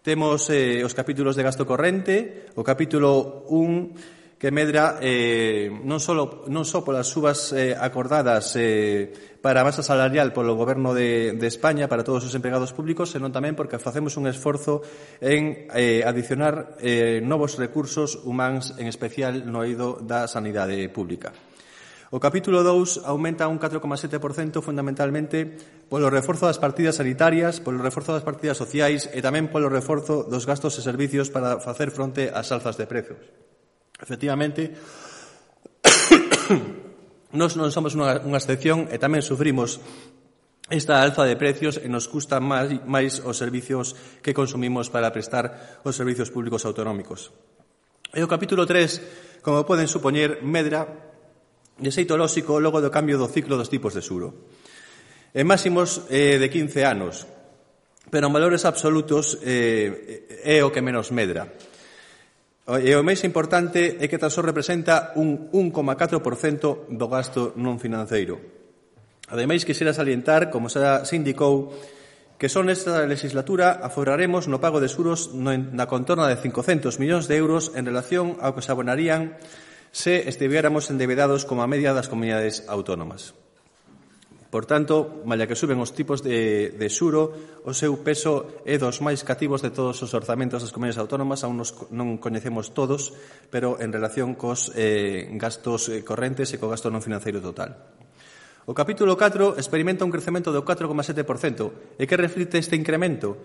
Temos eh, os capítulos de gasto corrente, o capítulo un, que medra eh, non, solo, non só polas subas eh, acordadas eh, para a masa salarial polo Goberno de, de España para todos os empregados públicos, senón tamén porque facemos un esforzo en eh, adicionar eh, novos recursos humáns, en especial no eido da sanidade pública. O capítulo dous aumenta un catro coma sete por cento fundamentalmente polo reforzo das partidas sanitarias, polo reforzo das partidas sociais e tamén polo reforzo dos gastos e servicios para facer fronte ás alzas de prezos. Efectivamente, nós non somos unha, unha excepción e tamén sufrimos esta alza de precios e nos custa máis, máis os servicios que consumimos para prestar os servicios públicos autonómicos. E o capítulo tres, como poden supoñer, medra de xeito lóxico logo do cambio do ciclo dos tipos de xuro. En máximos eh, de quince anos, pero en valores absolutos eh, é o que menos medra. E o máis importante é que tan só representa un un coma catro por cento do gasto non financeiro. Ademais, quixera salientar, como xa se indicou, que son nesta legislatura aforraremos no pago de xuros na contorna de cincocentos millóns de euros en relación ao que se abonarían se estiviéramos endebedados como a media das comunidades autónomas. Por tanto, malia que suben os tipos de, de xuro, o seu peso é dos máis cativos de todos os orzamentos das comunidades autónomas, aún nos, non coñecemos todos, pero en relación cos eh, gastos correntes e co gasto non financeiro total. O capítulo catro experimenta un crecemento do catro coma sete por cento. E que reflite este incremento?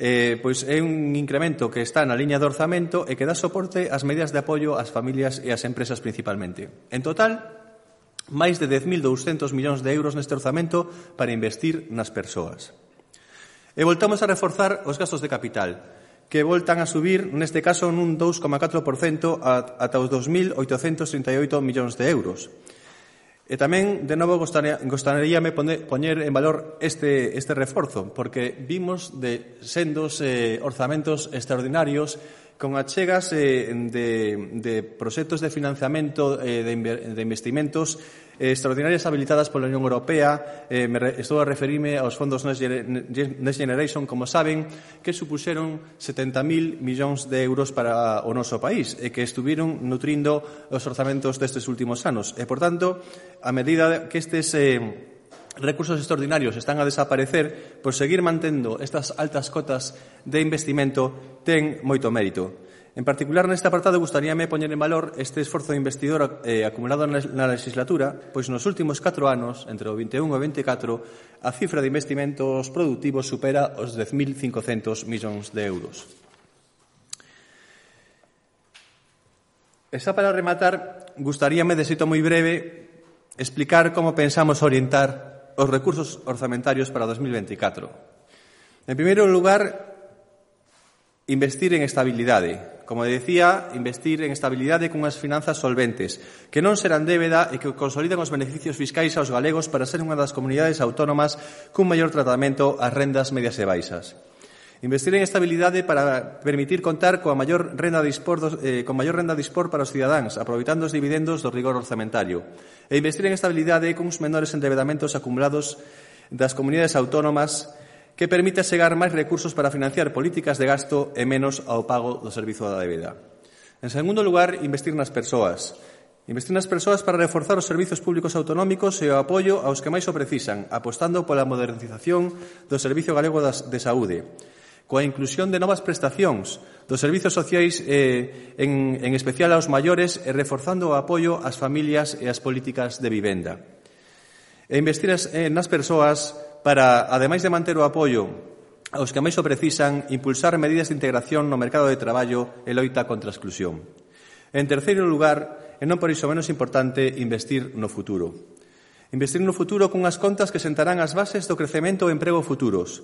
Eh, pois é un incremento que está na liña de orzamento e que dá soporte ás medidas de apoio ás familias e ás empresas principalmente. En total, máis de dez mil douscentos millóns de euros neste orzamento para investir nas persoas. E voltamos a reforzar os gastos de capital, que voltan a subir, neste caso, nun dous coma catro por cento ata os dos mil oitocentos trinta e oito millóns de euros. E tamén, de novo, gostaríame poñer en valor este, este reforzo, porque vimos de sendos eh, orzamentos extraordinarios con achegas eh, de, de proxectos de financiamento eh, de, de investimentos eh, extraordinarias habilitadas pola Unión Europea. Eh, me re, estou a referirme aos fondos Next, Next Generation, como saben, que supuxeron setenta mil millóns de euros para o noso país e que estuviron nutrindo os orzamentos destes últimos anos. E, por tanto, a medida que estes eh, recursos extraordinarios están a desaparecer, por seguir mantendo estas altas cotas de investimento ten moito mérito. En particular, neste apartado, gustaríame poñer en valor este esforzo investidor eh, acumulado na legislatura, pois nos últimos catro anos, entre o vinte e un e o vinte e catro, a cifra de investimentos productivos supera os dez mil cincocentos millóns de euros. E xa para rematar, gustaríame, de xeito moi breve, explicar como pensamos orientar os recursos orzamentarios para o dos mil vinte e catro. En primeiro lugar, investir en estabilidade. Como decía, investir en estabilidade cunhas finanzas solventes, que non serán débeda e que consoliden os beneficios fiscais aos galegos para ser unha das comunidades autónomas cun maior tratamento ás rendas medias e baixas. Investir en estabilidade para permitir contar coa maior renda dispor dos, eh, con maior renda dispor para os cidadáns, aproveitando os dividendos do rigor orzamentario. E investir en estabilidade cuns menores endebedamentos acumulados das comunidades autónomas que permite achegar máis recursos para financiar políticas de gasto e menos ao pago do servizo da débeda. En segundo lugar, investir nas persoas. Investir nas persoas para reforzar os servizos públicos autonómicos e o apoio aos que máis o precisan, apostando pola modernización do Servizo Galego de Saúde, coa inclusión de novas prestacións dos servizos sociais, eh, en, en especial aos maiores, e reforzando o apoio ás familias e ás políticas de vivenda. E investir eh, nas persoas para, ademais de manter o apoio aos que máis o precisan, impulsar medidas de integración no mercado de traballo e loita contra a exclusión. En terceiro lugar, e non por iso menos importante, investir no futuro. Investir no futuro cunhas contas que sentarán as bases do crecemento e emprego futuros,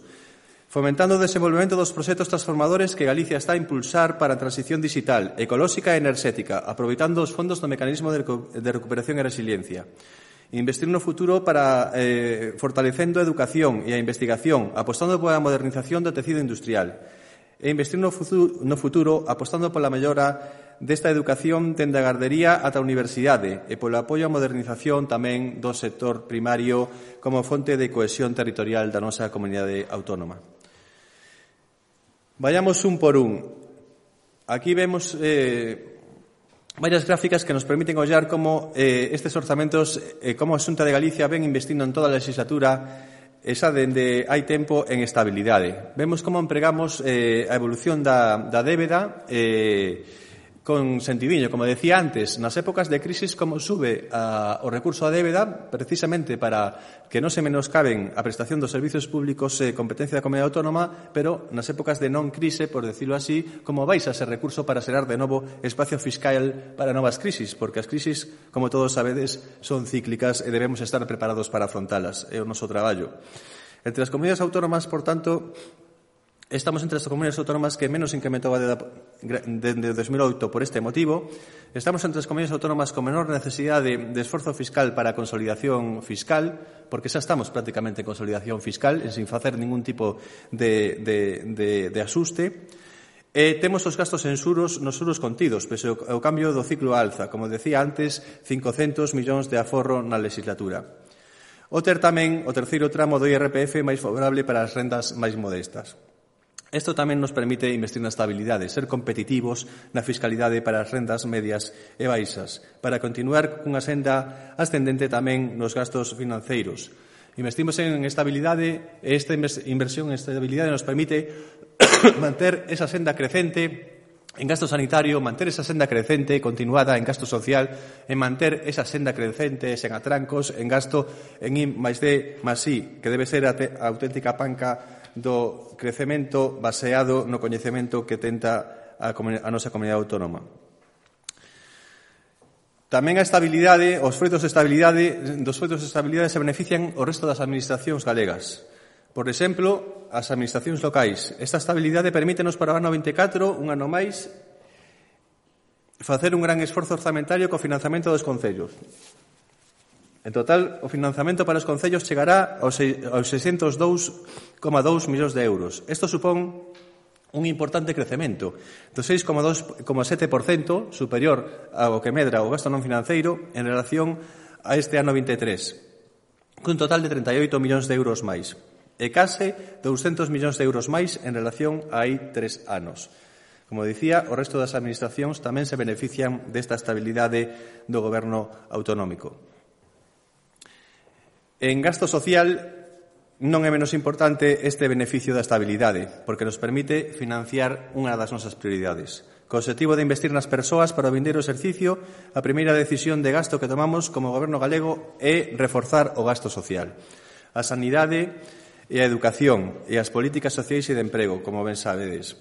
fomentando o desenvolvemento dos proxectos transformadores que Galicia está a impulsar para a transición digital, ecolóxica e enerxética, aproveitando os fondos do mecanismo de recuperación e resiliencia. Investir no futuro para eh, fortalecendo a educación e a investigación, apostando pola modernización do tecido industrial. E investir no futuro, no futuro apostando pola mellora desta educación dende a gardería ata a universidade e polo apoio á modernización tamén do sector primario como fonte de cohesión territorial da nosa comunidade autónoma. Vayamos un por un. Aquí vemos eh, varias gráficas que nos permiten ollar como eh, estes orzamentos, eh, como a Xunta de Galicia ven investindo en toda a legislatura, esa dende hai tempo en estabilidade. Vemos como empregamos eh, a evolución da, da débeda eh, con sentidiño, como decía antes, nas épocas de crisis como sube a, o recurso a débeda, precisamente para que non se menoscaben a prestación dos servizos públicos e eh, competencia da comunidade autónoma, pero nas épocas de non crise, por decirlo así, como baixa ese recurso para xerar de novo espacio fiscal para novas crisis, porque as crisis, como todos sabedes, son cíclicas e debemos estar preparados para afrontalas, é o noso traballo. Entre as comunidades autónomas, por tanto, estamos entre as comunidades autónomas que menos incrementou a débeda dende dos mil oito por este motivo. Estamos entre as comunidades autónomas con menor necesidade de, de esforzo fiscal para a consolidación fiscal, porque xa estamos prácticamente en consolidación fiscal, sin facer ningún tipo de, de, de, de asuste. E temos os gastos en xuros nos xuros contidos, pese ao cambio do ciclo alza, como decía antes, cincocentos millóns de aforro na legislatura. O ter tamén o terceiro tramo do I R P F máis favorable para as rendas máis modestas. Isto tamén nos permite investir na estabilidade, ser competitivos na fiscalidade para as rendas medias e baixas, para continuar cunha senda ascendente tamén nos gastos financeiros. Investimos en estabilidade e esta inversión en estabilidade nos permite manter esa senda crecente en gasto sanitario, manter esa senda crecente continuada en gasto social e manter esa senda crecente sen atrancos en gasto en I máis D máis I, que debe ser a, a auténtica panca do crecemento baseado no coñecemento que tenta a, a nosa comunidade autónoma. Tamén a estabilidade, os froitos de estabilidade, dos froitos de estabilidade se benefician o resto das administracións galegas. Por exemplo, as administracións locais. Esta estabilidade permítenos para o ano vinte e catro, un ano máis, facer un gran esforzo orzamentario co financiamento dos concellos. En total, o financiamento para os concellos chegará aos seiscentos dous coma dous millóns de euros. Isto supón un importante crecemento do seis coma sete por cento superior ao que medra o gasto non financeiro en relación a este ano vinte e tres, cun total de trinta e oito millóns de euros máis, e case douscentos millóns de euros máis en relación a hai tres anos. Como dicía, o resto das administracións tamén se benefician desta estabilidade do goberno autonómico. En gasto social non é menos importante este beneficio da estabilidade, porque nos permite financiar unha das nosas prioridades. Co objetivo de investir nas persoas para o vindeiro exercicio, a primeira decisión de gasto que tomamos como goberno galego é reforzar o gasto social. A sanidade e a educación e as políticas sociais e de emprego, como ben sabedes.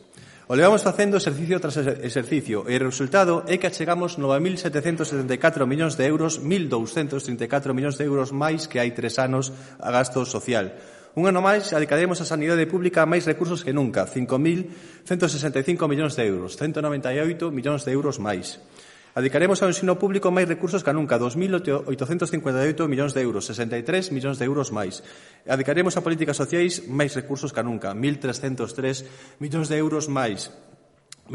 O levamos facendo exercicio tras exercicio e o resultado é que achegamos nove mil setecentos setenta e catro millóns de euros, mil douscentos trinta e catro millóns de euros máis que hai tres anos a gasto social. Un ano máis adicaremos a sanidade pública máis recursos que nunca, cinco mil ciento sesenta e cinco millóns de euros, ciento noventa e oito millóns de euros máis. Adicaremos ao ensino público máis recursos que nunca, dos mil oitocentos cincuenta e oito millóns de euros, sesenta e tres millóns de euros máis. Adicaremos a políticas sociais máis recursos que nunca, mil trescentos tres millóns de euros máis.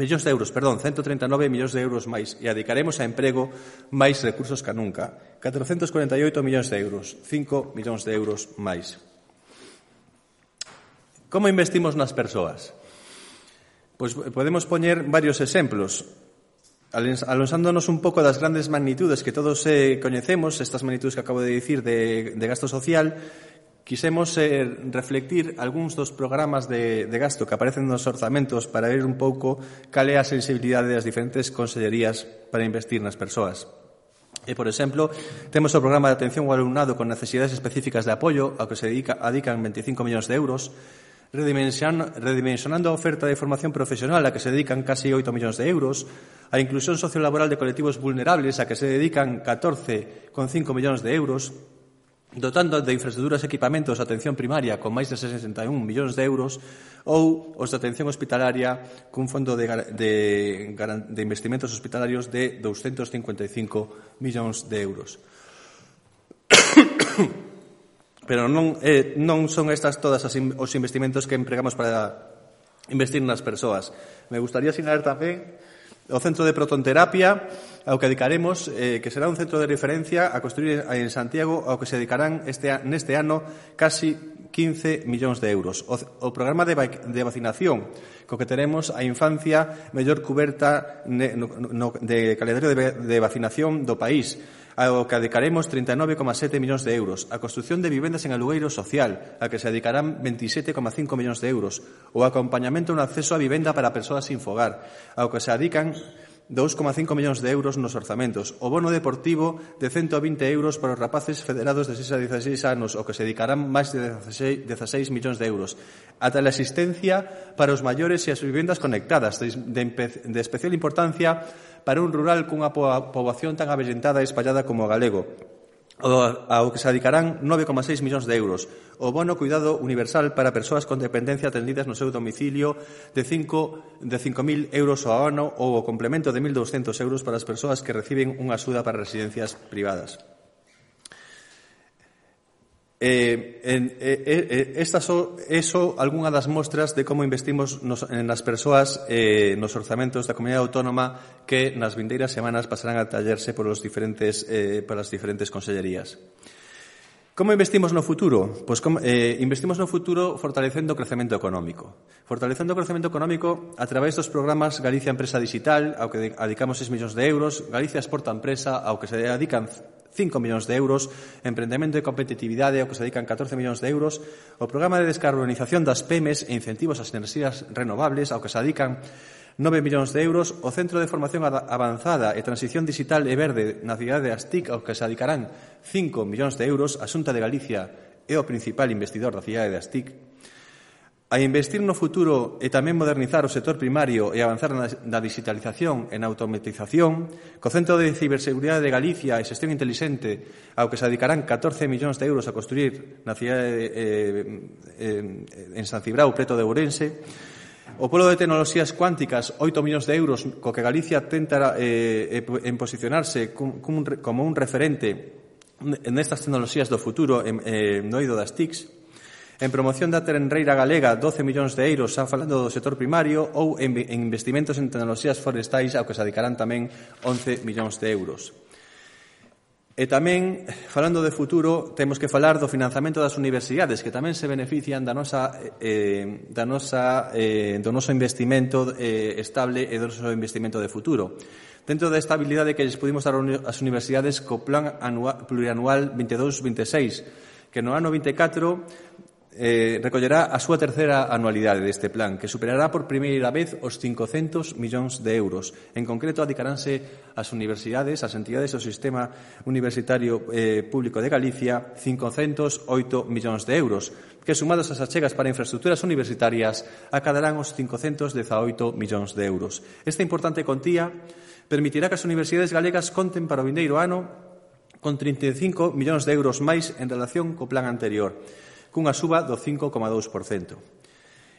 Millóns de euros, perdón, ciento treinta e nove millóns de euros máis. E adicaremos a emprego máis recursos que nunca, catrocentos cuarenta e oito millóns de euros, cinco millóns de euros máis. Como investimos nas persoas? Pois podemos poñer varios exemplos. Alonsándonos un pouco das grandes magnitudes que todos eh, coñecemos, estas magnitudes que acabo de dicir de, de gasto social, quisemos eh, reflectir algúns dos programas de, de gasto que aparecen nos orzamentos para ver un pouco cal é a sensibilidade das diferentes consellerías para investir nas persoas. E, por exemplo, temos o programa de atención ao alumnado con necesidades específicas de apoio, ao que se dedica, adican veinticinco millóns de euros, redimensionando a oferta de formación profesional a que se dedican casi oito millóns de euros, a inclusión sociolaboral de colectivos vulnerables a que se dedican catorce coma cinco millóns de euros, dotando de infraestructuras e equipamentos a atención primaria con máis de sesenta e un millóns de euros, ou os de atención hospitalaria cun fondo de, de, de investimentos hospitalarios de doscientos cincuenta e cinco millóns de euros. Pero non, eh, non son estas todas as in, os investimentos que empregamos para investir nas persoas. Me gustaría sinalar tamén o Centro de Protonterapia, ao que dedicaremos, eh, que será un centro de referencia a construir en Santiago, ao que se dedicarán este, neste ano casi quince millóns de euros. O, o programa de, de vacinación, co que teremos a infancia mellor cuberta ne, no, no, de calendario de, de vacinación do país, ao que dedicaremos trinta e nove coma sete millóns de euros, a construción de vivendas en alugueiro social, a que se dedicarán veintisiete coma cinco millóns de euros, o acompañamento no acceso a vivenda para persoas sin fogar, ao que se dedican dous coma cinco millóns de euros nos orzamentos, o bono deportivo de cento vinte euros para os rapaces federados de seis a dieciséis anos, o que se dedicarán máis de dezasseis millóns de euros, ata a asistencia para os maiores e as vivendas conectadas, de, de especial importancia para un rural cunha poboación tan avellentada e espallada como o galego, ao que se dedicarán nove coma seis millóns de euros, o bono cuidado universal para persoas con dependencia atendidas no seu domicilio de cinco mil euros ao ano, ou o complemento de mil doscientos euros para as persoas que reciben unha axuda para residencias privadas. Eh, eh, eh, estas son eso, algunha das mostras de como investimos nos, nas persoas eh, nos orzamentos da comunidade autónoma que nas vindeiras semanas pasarán a tallerse por os diferentes, eh, por as diferentes consellerías. Como investimos no futuro? Pois como, eh, investimos no futuro fortalecendo o crecemento económico. Fortalecendo o crecemento económico a través dos programas Galicia Empresa Digital, ao que dedicamos seis millóns de euros, Galicia Exporta Empresa, ao que se dedican cinco millóns de euros, emprendemento e competitividade, ao que se dedican catorce millóns de euros, o programa de descarbonización das pymes e incentivos ás enerxías renovables, ao que se dedican nove millóns de euros, o Centro de Formación Avanzada e Transición Digital e Verde na cidade de Astic, ao que se dedicarán cinco millóns de euros, a Xunta de Galicia é o principal investidor da cidade de Astic. A investir no futuro e tamén modernizar o sector primario e avanzar na, na digitalización e na automatización, co Centro de Ciberseguridade de Galicia e Xestión Intelixente, ao que se dedicarán catorce millóns de euros a construir na cidade de, eh, eh, en San Cibrao, preto de Ourense, o Polo de Tecnoloxías Cuánticas, oito millóns de euros, co que Galicia tenta eh, en posicionarse como un referente nestas tecnoloxías do futuro eh, no eido das T I Cs, en promoción da terrenreira galega doce millóns de euros, xa falando do sector primario, ou en investimentos en tecnoloxías forestais, ao que se dedicarán tamén once millóns de euros. E tamén, falando de futuro, temos que falar do financiamento das universidades, que tamén se benefician da nosa, eh, da nosa, eh, do noso investimento eh, estable e do noso investimento de futuro. Dentro da estabilidade que lles pudimos dar ás universidades co Plan anual, Plurianual veintidós veintiséis, que no ano vinte e catro eh, recollerá a súa terceira anualidade deste plan, que superará por primeira vez os cincocentos millóns de euros. En concreto, adicaránse as universidades, as entidades do sistema universitario eh, público de Galicia, cincocentos oito millóns de euros, que sumados ás achegas para infraestructuras universitarias acadarán os cincocentos dezaoito millóns de euros. Esta importante contía permitirá que as universidades galegas conten para o vindeiro ano con trinta e cinco millóns de euros máis en relación co plan anterior, cunha suba do cinco coma dous por cento.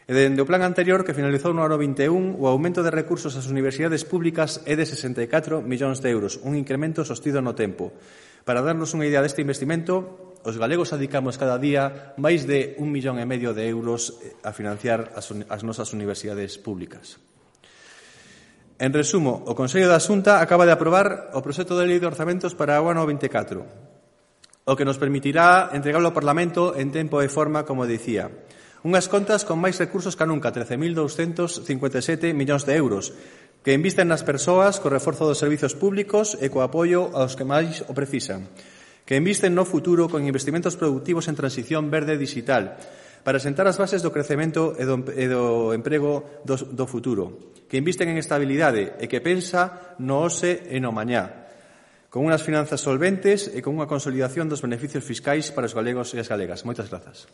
E dende o plan anterior, que finalizou no ano vinte e un, o aumento de recursos ás universidades públicas é de sesenta e catro millóns de euros, un incremento sostido no tempo. Para darnos unha idea deste investimento, os galegos adicamos cada día máis de un millón e medio de euros a financiar as, as nosas universidades públicas. En resumo, o Consello da Xunta acaba de aprobar o proxecto de lei de orzamentos para o ano vinte e catro, o que nos permitirá entregalo ao Parlamento en tempo e forma, como dicía. Unhas contas con máis recursos que nunca, trece mil douscentos cincuenta e sete millóns de euros, que invisten nas persoas co reforzo dos servizos públicos e co apoio aos que máis o precisan, que invisten no futuro con investimentos productivos en transición verde digital, para sentar as bases do crecemento e do, e do emprego do, do futuro, que invisten en estabilidade e que pensa no hoxe e no mañá, con unhas finanzas solventes e con unha consolidación dos beneficios fiscais para os galegos e as galegas. Moitas grazas.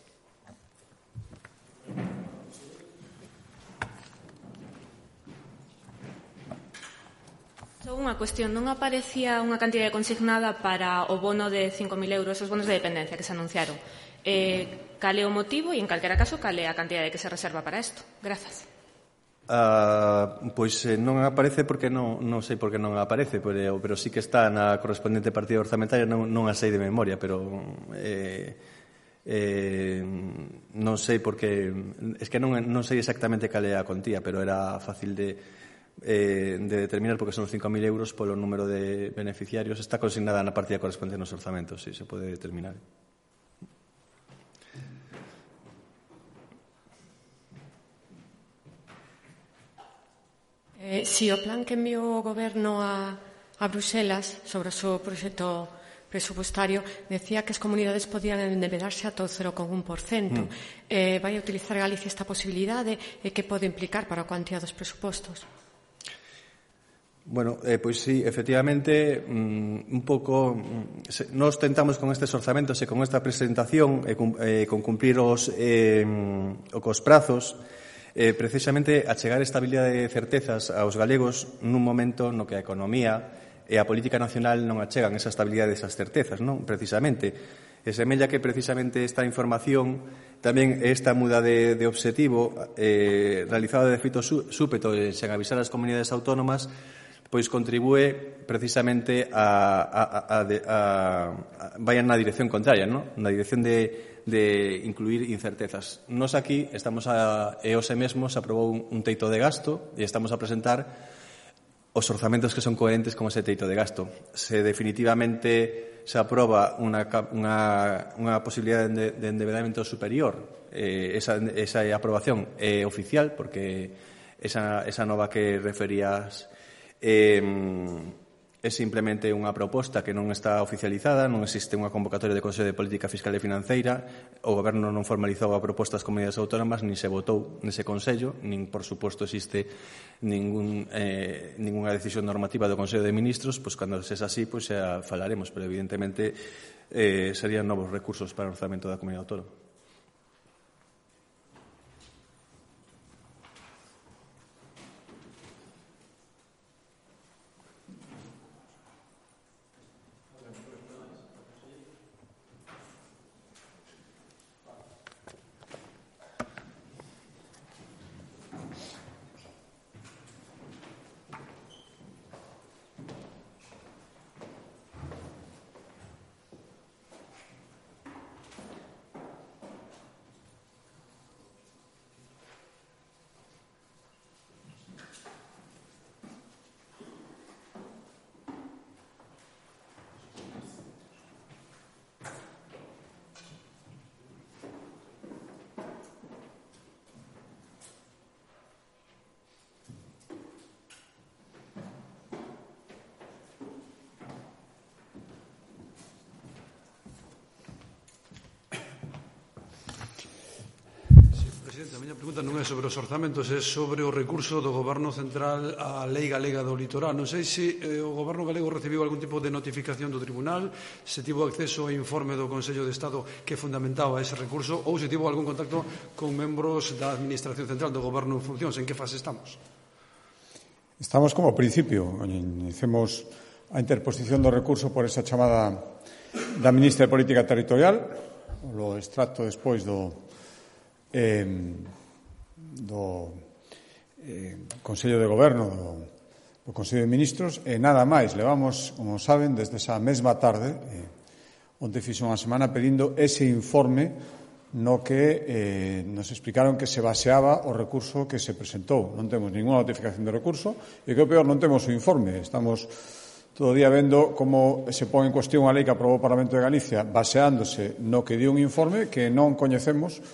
Só unha cuestión, non aparecía unha cantidade consignada para o bono de cinco mil euros, os bonos de dependencia que se anunciaron. Eh, cal é o motivo e, en calquera caso, cal é a cantidade que se reserva para isto? Grazas. Uh, pois eh, non aparece porque non, non sei por que non aparece, pero, pero sí que está na correspondente partida orzamentaria, non, non a sei de memoria, pero eh, eh, non sei porque es que non, non sei exactamente cal é a contía, pero era fácil de, eh, de determinar porque son cinco mil euros polo número de beneficiarios. Está consignada na partida correspondente nos orzamentos, si sí, se pode determinar. Eh, si o plan que enviou o Goberno a, a Bruxelas sobre o seu proxecto presupuestario decía que as comunidades podían endebedarse ata o cero coma un por cento. Mm. Eh, vai a utilizar Galicia esta posibilidade e que pode implicar para a cuantía dos presupostos? Bueno, eh, pois sí, efectivamente, mm, un pouco mm, se, nos tentamos con estes orzamentos e con esta presentación e con, eh, con cumplir os, eh, os prazos, Eh, precisamente achegar estabilidade e certezas aos galegos nun momento no que a economía e a política nacional non achegan esa estabilidade e esas certezas, non? Precisamente. E semella que precisamente esta información, tamén esta muda de, de objetivo eh, realizada de feito súpeto e sen avisar as comunidades autónomas, pois contribúe precisamente a, a, a, a, a, a vayan na dirección contraria, non? Na dirección de de incluir incertezas. Nos aquí estamos a, e hoxe mesmo se aprobou un, un teito de gasto e estamos a presentar os orzamentos que son coherentes con ese teito de gasto. Se definitivamente se aproba unha, unha, unha posibilidade de, de endebedamento superior, eh, esa, esa aprobación é oficial, porque esa, esa nova que referías eh, é simplemente unha proposta que non está oficializada, non existe unha convocatoria de Consello de Política Fiscal e Financeira, o Goberno non formalizou a proposta ás comunidades autónomas, nin se votou nese Consello, nin, por suposto, existe ningún, eh, ninguna decisión normativa do Consello de Ministros, pois cando se é así, pois xa falaremos, pero evidentemente eh, serían novos recursos para o orzamento da comunidade autónoma. Presidente, a miña pregunta non é sobre os orzamentos, é sobre o recurso do Goberno Central á Lei Galega do Litoral. Non sei se eh, o Goberno galego recibiu algún tipo de notificación do Tribunal, se tivo acceso ao informe do Consello de Estado que fundamentaba ese recurso ou se tivo algún contacto con membros da Administración Central do Goberno en funcións. En que fase estamos? Estamos como principio. Iniciemos a interposición do recurso por esa chamada da Ministra de Política Territorial, lo extracto despois do Eh, do eh, Consello de Goberno do, do Consello de Ministros e nada máis. Levamos, como saben, desde esa mesma tarde eh, onde fixo unha semana pedindo ese informe no que eh, nos explicaron que se baseaba o recurso que se presentou. Non temos ninguna notificación de recurso e que o peor non temos o informe. Estamos todo o día vendo como se pon en cuestión a lei que aprobou o Parlamento de Galicia baseándose no que dio un informe que non coñecemos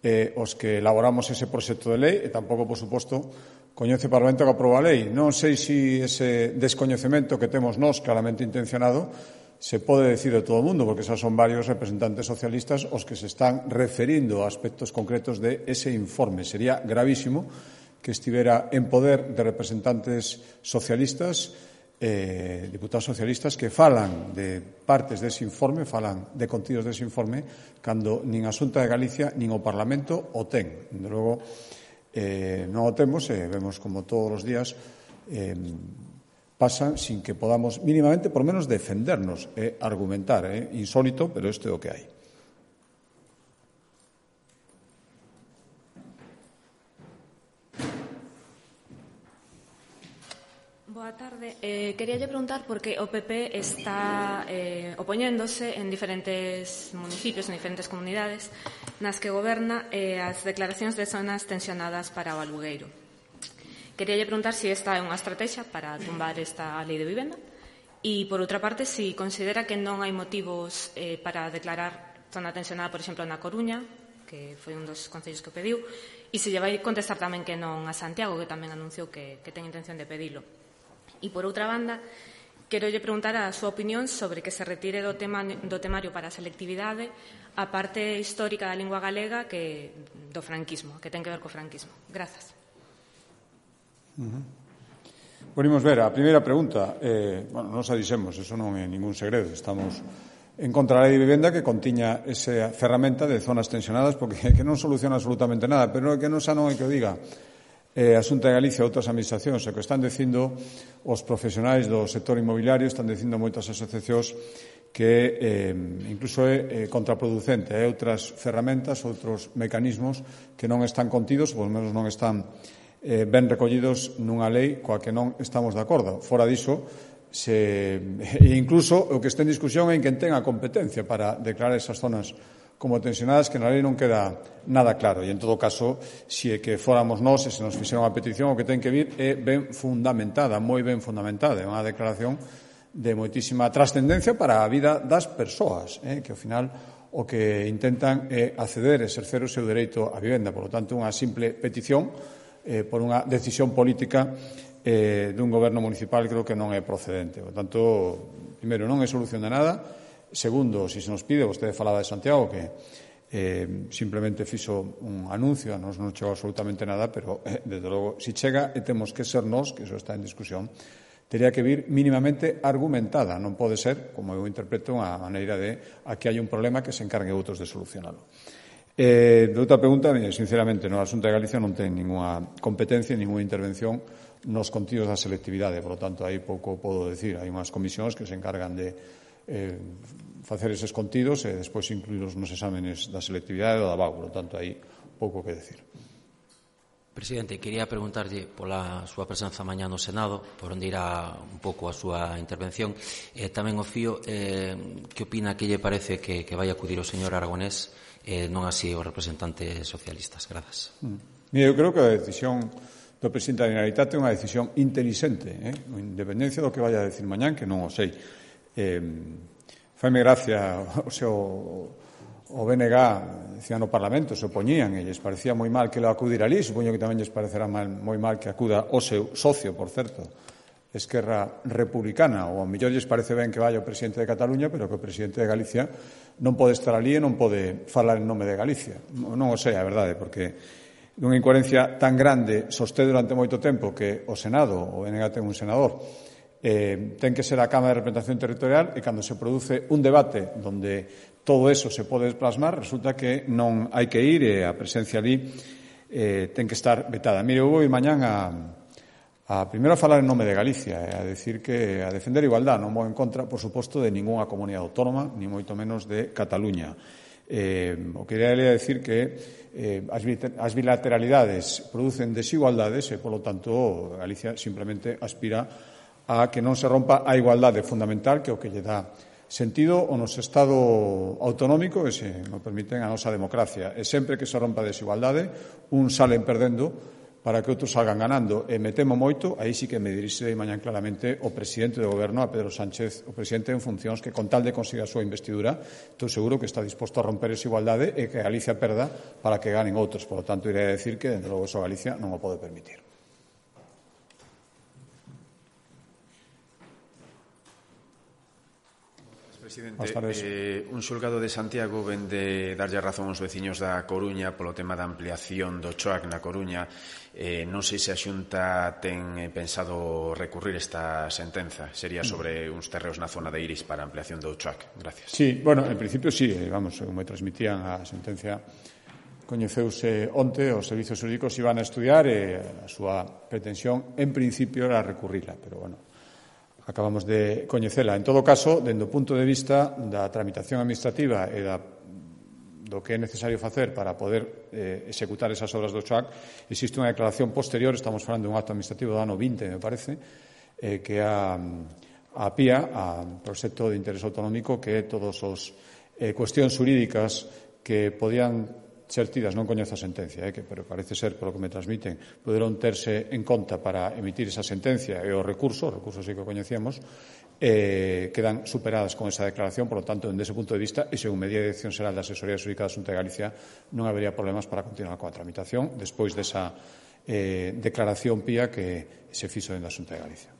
eh, os que elaboramos ese proxecto de lei e tampouco, por suposto, coñece o Parlamento que aprova a lei. Non sei se ese descoñecemento que temos nós claramente intencionado se pode decir de todo o mundo, porque xa son varios representantes socialistas os que se están referindo a aspectos concretos de ese informe. Sería gravísimo que estivera en poder de representantes socialistas, eh, diputados socialistas que falan de partes dese informe, falan de contidos dese informe, cando nin a Xunta de Galicia nin o Parlamento o ten. De logo, eh, non o temos e vemos como todos os días eh, pasan sin que podamos mínimamente, por menos, defendernos e argumentar. É eh? insólito, pero isto é o que hai. Boa tarde. Eh, queríalle preguntar porque o P P está eh, opoñéndose en diferentes municipios, en diferentes comunidades, nas que goberna eh, as declaracións de zonas tensionadas para o alugueiro. Queríalle preguntar se esta é unha estrategia para tumbar esta lei de vivenda e, por outra parte, se considera que non hai motivos eh, para declarar zona tensionada, por exemplo, na Coruña, que foi un dos concellos que o pediu, e se lle vai contestar tamén que non a Santiago, que tamén anunciou que, que ten intención de pedilo. E, por outra banda, quero lle preguntar a súa opinión sobre que se retire do, tema, do temario para a selectividade a parte histórica da lingua galega que do franquismo, que ten que ver co franquismo. Grazas. Uh-huh. Podemos ver, a primeira pregunta, eh, bueno, non sa dixemos, eso non é ningún segredo, estamos en contra da lei de vivenda que contiña esa ferramenta de zonas tensionadas porque que non soluciona absolutamente nada, pero que non xa non hai que o diga eh, a Xunta de Galicia e outras administracións, o que están dicindo os profesionais do sector inmobiliario, están dicindo moitas asociacións que eh, incluso é eh, contraproducente, hai outras ferramentas, outros mecanismos que non están contidos, ou polo menos non están eh, ben recollidos nunha lei coa que non estamos de acordo. Fora diso, se, e incluso o que está en discusión é en quen ten a competencia para declarar esas zonas como tensionadas, que na lei non queda nada claro. E, en todo caso, se é que fóramos nós e se nos fixeron a petición, o que ten que vir é ben fundamentada, moi ben fundamentada. É unha declaración de moitísima trascendencia para a vida das persoas, eh, que, ao final, o que intentan é acceder e exercer o seu dereito á vivenda. Por lo tanto, unha simple petición eh, por unha decisión política eh, dun goberno municipal creo que non é procedente. Por tanto, primeiro, non é solución de nada. Segundo, se se nos pide, vostede falaba de Santiago, que eh, simplemente fixo un anuncio, a nos non chegou absolutamente nada, pero, eh, desde logo, se chega e temos que ser nós, que iso está en discusión, teria que vir mínimamente argumentada. Non pode ser, como eu interpreto, unha maneira de aquí hai un problema que se encargue outros de solucionalo. Eh, de outra pregunta, sinceramente, no, a Xunta de Galicia non ten ninguna competencia, ninguna intervención nos contidos da selectividade, por lo tanto, aí pouco podo decir. Hai unhas comisións que se encargan de eh, facer eses contidos e despois incluíros nos exámenes da selectividade ou da B A U, por lo tanto, aí pouco que decir. Presidente, quería preguntarlle pola súa presenza mañá no Senado, por onde irá un pouco a súa intervención, e tamén o fío, eh, que opina, que lle parece que, que vai acudir o señor Aragonés, eh, non así os representantes socialistas. Grazas. Mm. Mira, eu creo que a decisión do presidente da Generalitat é unha decisión inteligente, eh? Independencia do que vaya a decir mañán, que non o sei. Eh, faime gracia o seu o B N G decían no Parlamento, se opoñían e lles parecía moi mal que lo acudir ali, supoño que tamén lles parecerá mal, moi mal que acuda o seu socio, por certo, Esquerra Republicana, ou ao mellor lles parece ben que vaya o presidente de Cataluña, pero que o presidente de Galicia non pode estar ali e non pode falar en nome de Galicia. Non o sei, a verdade, porque dunha incoherencia tan grande sostén durante moito tempo que o Senado, o N G ten un senador, eh, ten que ser a Cámara de Representación Territorial e cando se produce un debate onde todo eso se pode plasmar, resulta que non hai que ir e a presencia ali eh, ten que estar vetada. Mire, eu vou ir mañán a, a primeiro a falar en nome de Galicia, e a decir que a defender a igualdade, non vou en contra, por suposto, de ningunha comunidade autónoma, ni moito menos de Cataluña. Eh, o que quería decir que eh, as bilateralidades producen desigualdades e, polo tanto, Galicia simplemente aspira a que non se rompa a igualdade fundamental, que é o que lle dá sentido ao noso Estado autonómico e, se me permiten, a nosa democracia. E sempre que se rompa a desigualdade, un salen perdendo para que outros salgan ganando. E me temo moito, aí sí que me dirixirei mañán claramente o presidente do Goberno, a Pedro Sánchez, o presidente en funcións, que con tal de conseguir a súa investidura, estou seguro que está disposto a romper esa igualdade e que Galicia perda para que ganen outros. Por lo tanto, irei a decir que, dende logo, eso Galicia non o pode permitir. Presidente, eh, un xulgado de Santiago vende darlle razón aos veciños da Coruña polo tema da ampliación do CHOAC na Coruña. Eh, non sei se a Xunta ten pensado recurrir esta sentenza. Sería sobre uns terreos na zona de Iris para a ampliación do CHOAC. Gracias. Sí, bueno, en principio sí, vamos, como me transmitían a sentencia coñeceuse onte, os servizos xurídicos iban a estudiar e a súa pretensión en principio era recurrila, pero bueno, acabamos de coñecela. En todo caso, dende o punto de vista da tramitación administrativa e da, do que é necesario facer para poder eh, executar esas obras do CHOAC, existe unha declaración posterior, estamos falando de un acto administrativo do ano vinte, me parece, eh, que a, a P I A, a Proxecto de Interés Autonómico, que é todos os eh, cuestións xurídicas que podían ser tidas, non coñezo a sentencia, eh, que, pero parece ser, polo que me transmiten, poderon terse en conta para emitir esa sentencia e o recurso, o recurso sí que o coñecíamos, eh, quedan superadas con esa declaración. Por lo tanto, desde ese punto de vista, e según medida de Dirección Xeral da Asesoría Xurídica da Xunta de Galicia, non habería problemas para continuar coa tramitación despois desa eh, declaración P I A que se fixo dentro da Xunta de Galicia.